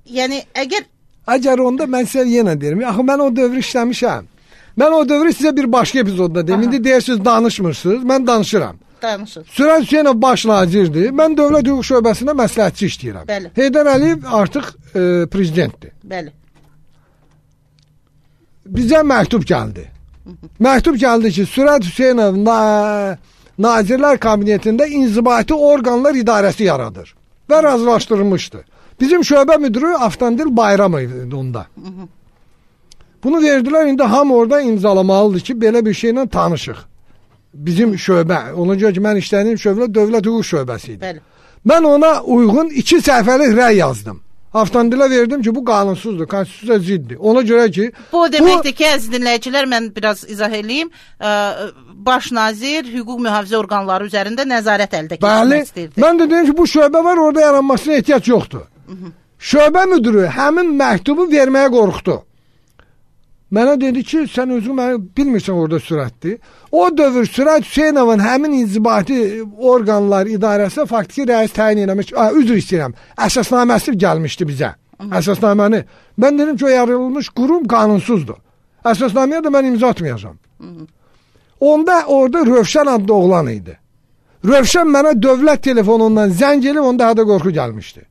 yəni əgər onda mən sizə yenə deyirəm, axı mən o dövr işləmişəm. Mən o dövrü sizə bir başqa epizodda deyim. İndi deyirsiniz danışmırsınız. Mən danışıram. Danışın. Sürət Hüseynov baş nazirdir. Mən dövlət hüquq şöbəsində məsləhətçi işləyirəm. Bəli. Heydər Əliyev artıq prezidentdir. Bəli. Bizə məktub gəldi. Məktub gəldi ki, Sürət Hüseynov Nazirlər Kabinetində inzibati orqanlar idarəsi yaradır və razılaşdırılmışdı. Bizim şöbə müdürü Avtandil Bayramov idi onda. Bunu verdilər, indi hamı orada imzalamalıdır ki, belə bir şeylə tanışıq. Bizim şöbə, ona görə ki, mən işlədiyim şöbə dövlət hüquq şöbəsi idi. Bəli. Mən ona uyğun 2 səhifəlik rəy yazdım. Avtomobilə verdim ki, bu qanunsuzdur, konstitusiyaya ziddir. Ona görə ki... Bu deməkdir ki, əziz dinləyicilər, mən biraz izah edeyim. Baş nazir hüquq mühafizə orqanları üzərində nəzarət əldə keçirmək istəyirdi. Mən də deyim ki, bu şöbə var, orada yaranmasına ehtiyac yoxdur. Şöbə müdürü həmin məktubu verməyə qorxdu. Mənə dedi ki, sən özün mənə bilmirsən orada Sürətdir. O dövr Sürət Hüseynovun həmin inzibati orqanlar idarəsi faktiki rəis təyin eləmiş, üzr istəyirəm, əsasnaməsi gəlmişdi bizə. Əsasnaməni. Mən dedim ki, o yaradılmış qurum qanunsuzdur. Əsasnaməyə də mən imza atmayacağam. Onda orada Rövşən adlı oğlan idi. Rövşən mənə dövlət telefonundan zəng elib, onda hədə qorxu gəlmişdi.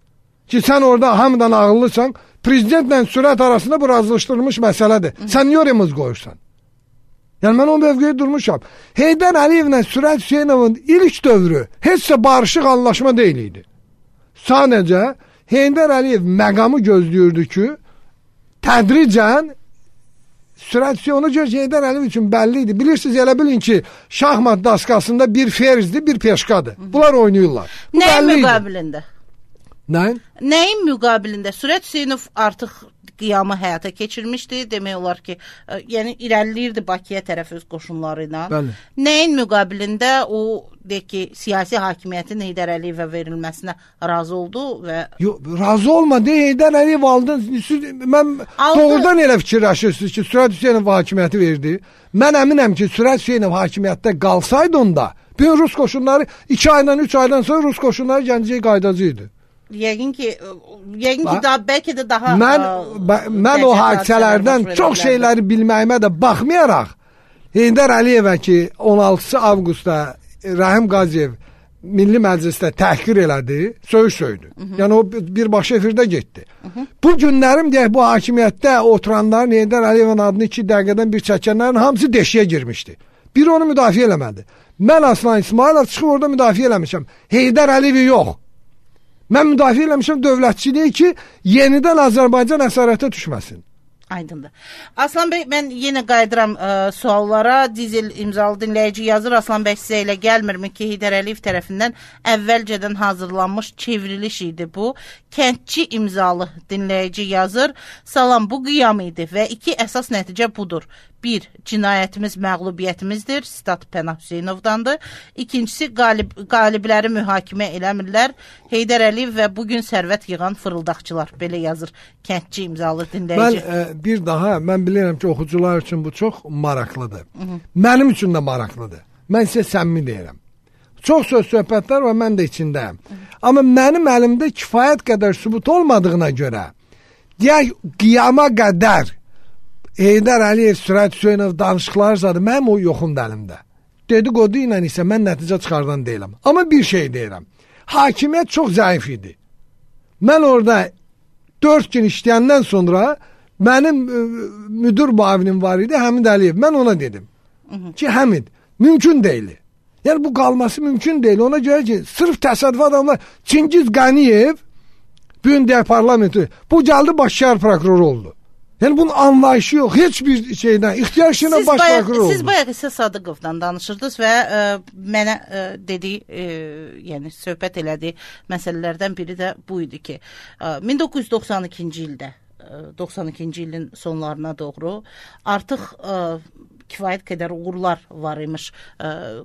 Ki, sən orada hamıdan ağıllısan, prezidentlə Sürət arasında bu razılaşdırılmış məsələdir. Sən niyə oraya mız qoyursan? Yəni, mən o mövqeyə durmuşam. Heydər Əliyevlə Sürət Hüseynovun ilk dövrü heç də barışıq anlaşma deyil idi. Sadəcə Heydər Əliyev məqamı gözləyirdi ki, tədricən sürət ona görə Heydər Əliyev üçün bəlli idi. Bilirsiniz, elə bilin ki, şahmat daskasında bir ferzdir, bir peşkadır. Bunlar oynayırlar. Nəyin müqabilində? Nəyin müqabilində? Sürət Hüseynov artıq qiyamı həyata keçirmişdi. Demək olar ki, yəni irəliləyirdi Bakıya tərəf öz qoşunları ilə. Bəli. Nəyin müqabilində o deyək ki, siyasi hakimiyyətin Heydər Əliyevə verilməsinə razı oldu və razı olmadı. Heydər Əliyev aldı. Mən doğrudan elə fikirləşirsiniz ki, Sürət Hüseynov hakimiyyəti verdi. Mən əminəm ki, Sürət Hüseynov hakimiyyətdə qalsaydı onda, bütün Rus qoşunları 2 aydan 3 aydan sonra Rus qoşunları Gəncəyə qaydacaqdı. Yəqin ki daha bəlkə də daha mən o hadisələrdən çox şeyləri bilməyimə də baxmayaraq Heydər Əliyevə ki 16 avqustda Rahim Qaziyev Milli Məclisdə təhqir elədi, söydü. Yəni o birbaşa efirdə getdi. Bu günlərim deyək, bu hakimiyyətdə oturanların Heydər Əliyevin adını 2 dəqiqədən bir çəkənlərin hamısı deşiyə girmişdi. Biri onu müdafiə eləmədi. Mən Aslan İsmailov çıxıb orada müdafiə eləmişəm. Heydər Əliyevi yox. Mən müdafiə eləmişəm dövlətçiliyi ki, yenidən Azərbaycan əsarətə düşməsin. Aydındır. Aslan bəy, mən yenə qayıdıram suallara. Dizel imzalı dinləyici yazır. Aslan bəy, sizə elə gəlmirmi ki, Heydər Əliyev tərəfindən əvvəlcədən hazırlanmış çevriliş idi bu? Kəndçi imzalı dinləyici yazır. Salam, bu qiyam idi və 2 əsas nəticə budur. 1. Cinayətimiz məğlubiyyətimizdir. Sitat Pənah Hüseynovdandır. İkincisi, qalibləri mühakimə eləmirlər. Heydər Əliyev və bugün sərvət yığan fırıldaqçılar. Belə yazır kəndçi imzalı dinləyici. Bir daha, mən bilirəm ki, oxucular üçün bu çox maraqlıdır. Mənim üçün də maraqlıdır. Mən sizə səmimi deyirəm. Çox söz söhbətlər var, mən də içindəyəm. Amma mənim əlimdə kifayət qədər sübut olmadığına görə, deyək, qiyama qədər Heydər Əliyev, Sürət Hüseynov danışıqları zadı, mənim o yoxumdur əlimdə. Dedikodu ilə isə mən nəticə çıxardan deyiləm. Amma bir şey deyirəm, hakimiyyət çox zəif idi. Mən orada 4 gün işləyəndən sonra mənim müdür müavinim var idi, Həmid Əliyev. Mən ona dedim ki, Həmid, mümkün deyil. Yəni bu qalması mümkün deyil. Ona görə ki, sırf təsadüf adamlar, Çingiz Qəniyev, bugün deyək parlamenti, bu gəldi baş şəhər prokuroru oldu. Yəni bunun anlayışı yox, heç bir şeydən, ixtiyar şeylə baş prokuror oldu. Siz bayaq isə Sadıqovdan danışırdınız və mənə yəni söhbət elədiyi məsələlərdən biri də bu idi ki, 1992-ci ildə, 92-ci ilin sonlarına doğru artıq kifayət qədər uğurlar var imiş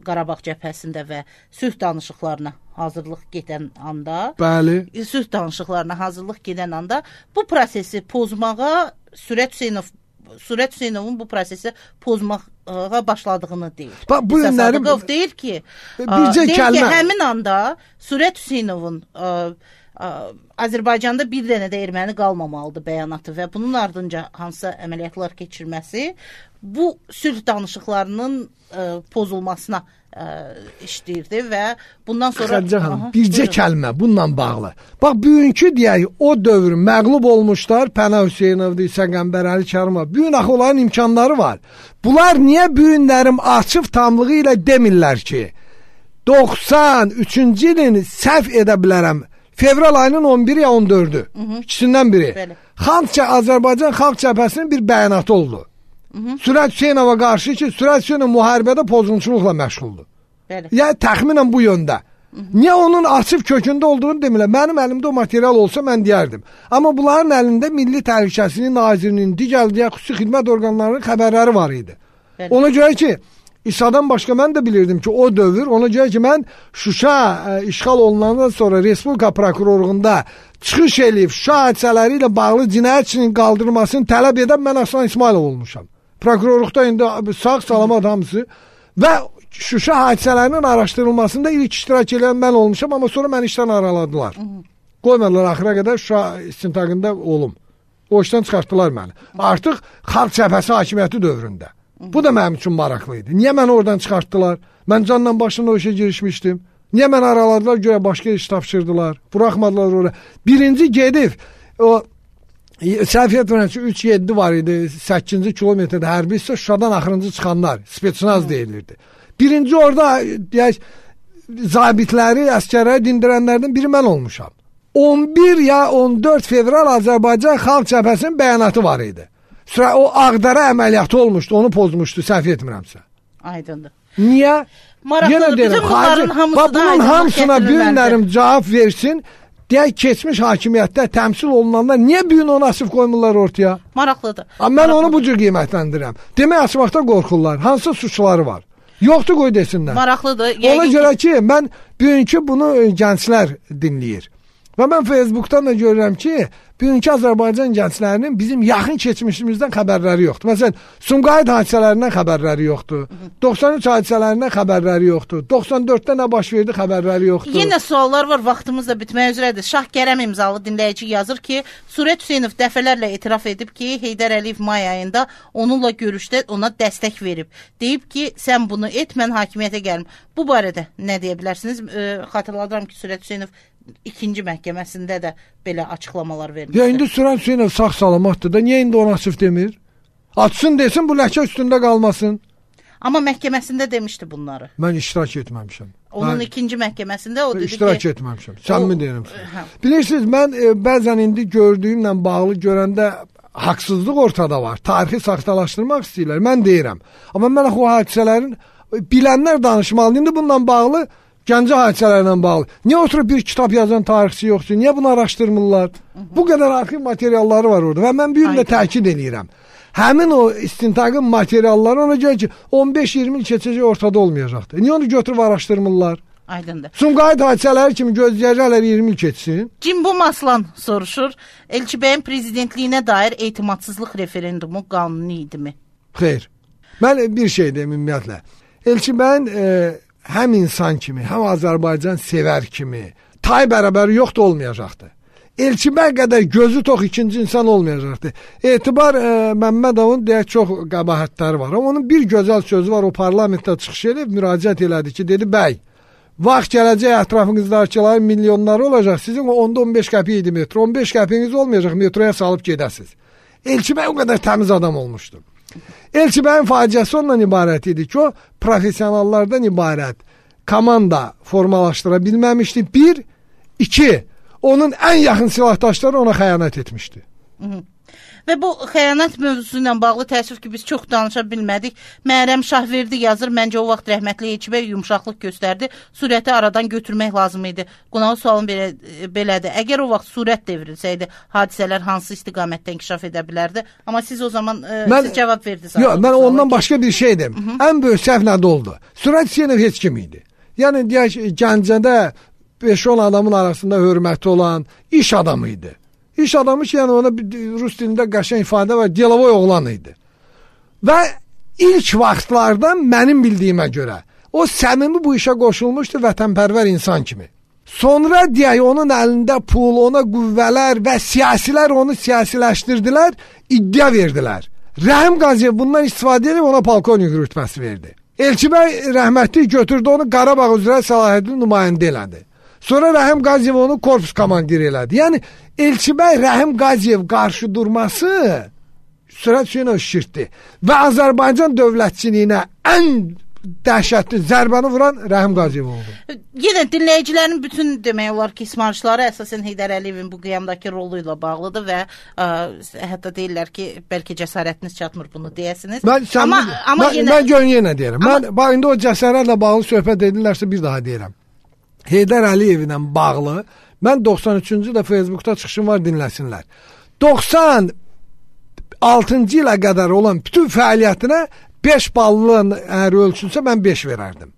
Qarabağ cəbhəsində və sülh danışıqlarına hazırlıq gedən anda, sülh danışıqlarına hazırlıq gedən anda bu prosesi pozmağa Sürət Hüseynovun bu prosesi pozmağa başladığını deyir. Sadıqov deyir ki, həmin anda Sürət Hüseynovun Azərbaycanda bir dənə də erməni qalmamalıdır bəyanatı və bunun ardınca hansısa əməliyyatlar keçirməsi bu sülh danışıqlarının pozulmasına işləyirdi və bundan sonra... Xədicə xanım, bircə kəlmə bununla bağlı. Bax, bugünkü deyək, o dövr məğlub olmuşlar, Pənah Hüseynovdur, İsa Qəmbərəli Kərimov. Bugün axı onların imkanları var. Bunlar niyə bugünlərim açıq tamlığı ilə demirlər ki, 93-cü ilin səhv edə bilərəm, fevral ayının 11-i ya 14-ü, ikisindən biri. Azərbaycan Xalq Cəbhəsinin bir bəyanatı oldu. Sürət Hüseynova qarşı ki, Sürət Hüseynov müharibədə pozunçuluqla məşğuldur. Yəni təxminən bu yöndə. Niyə onun açıq kökündə olduğunu demirlər. Mənim əlimdə o material olsa mən deyərdim. Amma bunların əlində Milli Təhlükəsizlik Nazirinin, digər xüsusi xidmət orqanlarının xəbərləri var idi. Ona görə ki, İsa'dan başqa mən də bilirdim ki, o dövr, ona görə ki, mən Şuşa işğal olunandan sonra Respublika prokurorluğunda çıxış eləyib Şuşa hadisələri ilə bağlı cinayətçinin qaldırılmasını tələb edən mən Aslan İsmailov olmuşam. Prokurorluqda indi sağ salamat hamısı və Şuşa hadisələrinin araşdırılmasında ilk iştirak edən mən olmuşam, amma sonra məni işdən araladılar. Qoymadılar axıra qədər Şuşa istintaqında olum. O işdən çıxartdılar məni. Artıq Xalq Cəbhəsi hakimiyyəti dövründə. Bu da mənim üçün maraqlıydı. Niyə məni oradan çıxartdılar? Mən canla başında o işə girişmişdim. Niyə məni araladılar, görə başqa iş tapşırdılar? Buraxmadılar oraya. Birinci gedib, o Səhviyyət Vərəncə 3-7 var idi, 8-ci kilometrdə hərbi isə Şuşadan axırıncı çıxanlar, spetsnaz deyilirdi. Birinci orada, deyək, zabitləri, əskərləri dindirənlərdən biri mən olmuşam. 11 ya 14 fevral Azərbaycan Xalq Cəbhəsinin bəyanatı var idi. O Ağdərə əməliyyatı olmuşdu, onu pozmuşdu, səhv etmirəmsə. Aydındır. Niyə? Maraqlıdır, bütün bunların hamısı bunun hamısına bir günlərim cavab versin. Deyək, keçmiş hakimiyyətdə təmsil olunanlar niyə bu gün onu asıb qoymurlar ortaya? Maraqlıdır. Mən onu bu cür qiymətləndirirəm. Demək, asmaqda qorxurlar. Hansı suçları var? Yoxdur, qoy desinlər. Maraqlıdır. Ona görə ki, mən bugünkü bunu gənclər dinləyir. Və mən Facebookdan da görürəm ki, bugünkü Azərbaycan gənclərinin bizim yaxın keçmişimizdən xəbərləri yoxdur. Məsələn, Sumqayıt hadisələrindən xəbərləri yoxdur. 93 hadisələrindən xəbərləri yoxdur. 94-də nə baş verdi xəbərləri yoxdur. Yenə suallar var, vaxtımız da bitməyə üzrədir. Şah Kərəm imzalı dinləyici yazır ki, Surət Hüseynov dəfələrlə etiraf edib ki, Heydər Əliyev may ayında onunla görüşdə ona dəstək verib. Deyib ki, sən bunu et, mən hakimiyyətə gəlim. Bu barədə nə deyə bilərsiniz? Xatırladıram ki, Surət Hüseynov ikinci məhkəməsində də belə açıqlamalar vermişdir. Ya indi Surət Hüseynov sağ salamatdır da, niyə indi ona sırf demir? Açsın desin, bu ləkə üstündə qalmasın. Amma məhkəməsində demişdi bunları. Mən iştirak etməmişəm. Onun ikinci məhkəməsində o dedi ki... İştirak etməmişəm, səmimi deyirəm. Bilirsiniz, mən bəzən indi gördüyümlə bağlı görəndə haqsızlıq ortada var. Tarixi saxtalaşdırmaq istəyirlər, mən deyirəm. Amma mən o hadisələrin bilənlər danışmalı. İndi bununla bağlı Gəncə hadisələrlə bağlı. Niyə oturub bir kitab yazan tarixçi yoxdur? Niyə bunu araşdırmırlar? Bu qədər arxiv materialları var orada və mən bir gün də təkid edirəm. Həmin o istintaqın materialları ona görə ki, 15-20 il keçəcək ortada olmayacaqdır. Niyə onu götürüb araşdırmırlar? Aydındır. Sumqayıt hadisələri kimi gözləyəcəklər 20 il keçsin. Cimbom Aslan soruşur, Elçi bəyin prezidentliyinə dair etimadsızlıq referendumu qanuni idimi? Xeyr. Mən bir şey deyim ümumiyyətlə. Elçi bəyin həm insan kimi, həm Azərbaycan sevər kimi tay bərabəri yoxdur, olmayacaqdır. Elçi bəy qədər gözü tox ikinci insan olmayacaqdır. Etibar Məmmədovun deyək çox qəbahətləri var. Amma onun bir gözəl sözü var, o parlamentdə çıxış edib müraciət elədi ki, dedi, bəy, vaxt gələcək ətrafınızdakıların milyonları olacaq, sizin o 10-15 qəpik idi metro, 15 qəpiyiniz olmayacaq, metroya salıb gedəsiniz. Elçi bəy o qədər təmiz adam olmuşdu. Elçi bəyin faciəsi ondan ibarət idi ki, o profesionallardan ibarət komanda formalaşdıra bilməmişdi. 1, 2, onun ən yaxın silahdaşları ona xəyanət etmişdi. Və bu xəyanət mövzusu ilə bağlı təəssüf ki, biz çox danışa bilmədik. Məryəm Şahverdi yazır, məncə o vaxt rəhmətli Elçi bəy yumşaqlıq göstərdi, Surəti aradan götürmək lazım idi. Qonağı sualım belədir. Əgər o vaxt Surət devrilsəydi, hadisələr hansı istiqamətdə inkişaf edə bilərdi? Amma siz o zaman siz cavab verdiniz. Yox, mən ondan başqa bir şey dedim. Ən böyük səhv nədə oldu? Surət Hüseynov heç kim idi. Yəni, deyək, Gəncədə 5-10 adamın arasında hörməti olan iş adamı idi. İş adamı ki, yəni ona rus dilində qəşəng ifadə var, delovoy oğlan idi. Və ilk vaxtlardan mənim bildiyimə görə o səmimi bu işə qoşulmuşdu, vətənpərvər insan kimi. Sonra deyək, onun əlində pul, ona qüvvələr və siyasilər onu siyasiləşdirdilər, iddia verdilər. Rəhim Qaziyev bundan istifadə edib ona polkovnik rütbəsi verdi. Elçi bəy rəhmətli götürdü onu Qarabağ üzrə səlahiyyətli nümayəndə elədi. Sonra Rəhim Qaziyev onu korpus komandiri elədi. Yəni, Elçi bəy Rəhim Qaziyev qarşı durması Surət Hüseynov şirtdi. Və Azərbaycan dövlətçiliyinə ən dəhşətli zərbəni vuran Rəhim Qaziyev oldu. Yenə dinləyicilərin bütün demək olar ki, ismarışları əsasən Heydər Əliyevin bu qiyamdakı rolu ilə bağlıdır və hətta deyirlər ki, bəlkə cəsarətiniz çatmır bunu deyəsiniz. Mən yenə deyirəm. Bax, indi o cəsarətlə bağlı söhbət edirlərsə bir daha deyirəm. Heydər Əliyevlə bağlı, mən 93-cü də Facebookda çıxışım var, dinləsinlər. 96-cı ilə qədər olan bütün fəaliyyətinə 5 ballın əgər ölçülsə, mən 5 verərdim.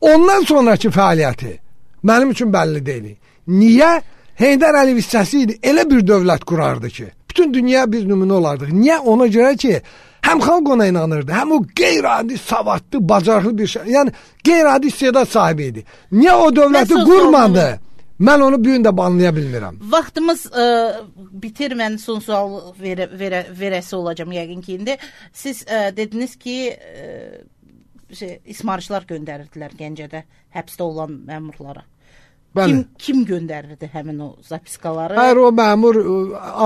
Ondan sonraki fəaliyyəti mənim üçün bəlli deyil. Niyə? Heydər Əliyev hissəsi idi, elə bir dövlət qurardı ki, bütün dünya bir nümunə olardıq. Niyə? Ona görə ki, həm xalq ona inanırdı, həm o qeyri-adi savadlı, bacarıqlı bir şey, yəni qeyri-adi istedad sahibi idi. Niyə o dövləti qurmadı? Mən onu bir gün də banlaya bilmirəm. Vaxtımız bitir, mən son sual verəsi olacağım yəqin ki, indi. Siz dediniz ki, ismarışlar göndərirdilər Gəncədə həbsdə olan məmurlara. Kim göndərirdi həmin o zapiskaları? Hər o məmur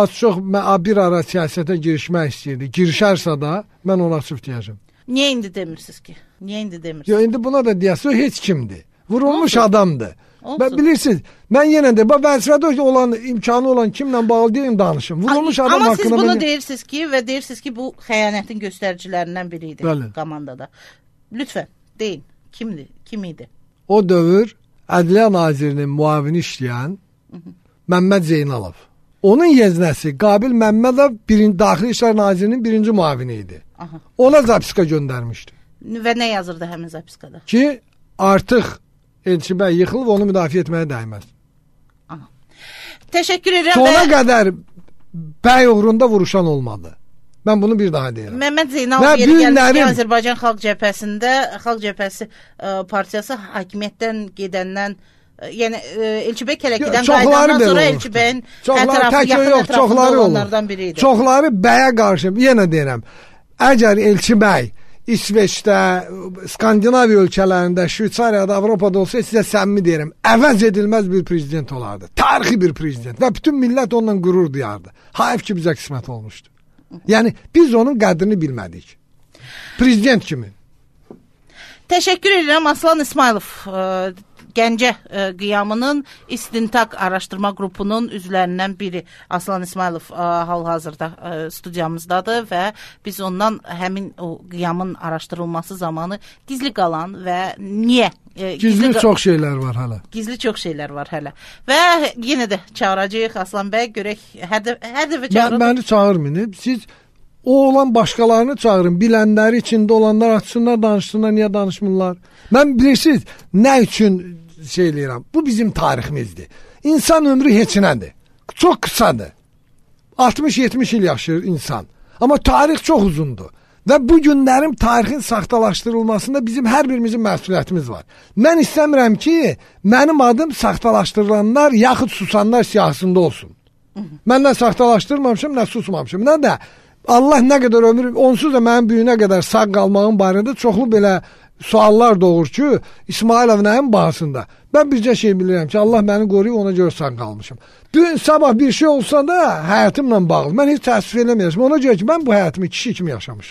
az-çox bir ara siyasətə girişmək istəyirdi. Girişərsə da mən ona sırf deyəcəm. Niyə indi demirsiniz ki? Niyə indi demirsiniz? Yo, indi buna da deyəsə o heç kimdir. Vurulmuş adamdır. Olsun. Bilirsiniz, mən yenə də vəzifədə olan, imkanı olan kimlə bağlı deyim danışım. Vurulmuş adam amma haqqında... Amma siz bunu deyirsiniz ki və deyirsiniz ki, bu xəyanətin göstəricilərindən biri idi komandada. Lütfən, deyin. Kim idi? O dövr Ədliyyə Nazirinin müavini işləyən Məmməd Zeynalov. Onun yeznəsi Qabil Məmmədov Daxili İşlər Nazirinin birinci müavini idi. Ona zapiska göndərmişdi. Və nə yazırdı həmin zapiskada? Ki, artıq Elçi bəy yıxılıb, onu müdafiə etməyə dəyməz. Təşəkkür edirəm. Sona qədər bəy uğrunda vuruşan olmadı. Mən bunu bir daha deyirəm. Məmməd Zeynalov yeri gəlmişdi Azərbaycan Xalq Cəbhəsində, Xalq Cəbhəsi partiyası hakimiyyətdən gedəndən, yəni Elçi bəy Kələkidən qayıdandan sonra Elçi bəyin yaxın ətrafında olanlardan biri idi. Çoxları bəyə qarşı, yenə deyirəm, əgər Elçi bəy İsveçdə, Skandinaviya ölkələrində, Şveytsariyada, Avropada olsa sizə səmimi deyirəm, əvəz edilməz bir prezident olardı. Tarixi bir prezident və bütün millət onunla qürur duyardı. Hayf ki bizə qismət olmuşdu. Yəni biz onun qədrini bilmədik. Prezident kimi. Təşəkkür edirəm Aslan İsmailov. Gəncə qiyamının İstintaq Araşdırma Qrupunun üzvlərindən biri Aslan İsmailov hal-hazırda studiyamızdadır və biz ondan həmin o qiyamın araşdırılması zamanı gizli qalan və niyə? Gizli çox şeylər var hələ. Gizli çox şeylər var hələ. Və yenə də çağıracağıq Aslan bəy, görək hər dəfə çağırın. Məni çağırmayın. Siz o olan başqalarını çağırın. Bilənləri, içində olanlar açsınlar, danışsınlar, niyə danışmırlar? Mən bilirsiniz, nə üçün şey eləyirəm? Bu bizim tariximizdir. İnsan ömrü heç nədir. Çox qısadır. 60-70 il yaşayır insan. Amma tarix çox uzundur. Və bu günlərin tarixin saxtalaşdırılmasında bizim hər birimizin məsuliyyətimiz var. Mən istəmirəm ki, mənim adım saxtalaşdırılanlar, yaxud susanlar siyahısında olsun. Mən nə saxtalaşdırmamışım, nə susmamışım. Nə də Allah nə qədər ömür, onsuz da mənim büyünə qədər sağ qalmağın barədə çoxlu belə suallar doğur ki, İsmailov nəyin bahasında? Mən bircə şey bilirəm ki, Allah məni qoruyub, ona görə sağ qalmışım. Dün sabah bir şey olsa da həyatımla bağlı. Mən heç təəssüf eləməyəcəm. Ona görə ki, mən bu həyatımı kişi kimi yaşamışam.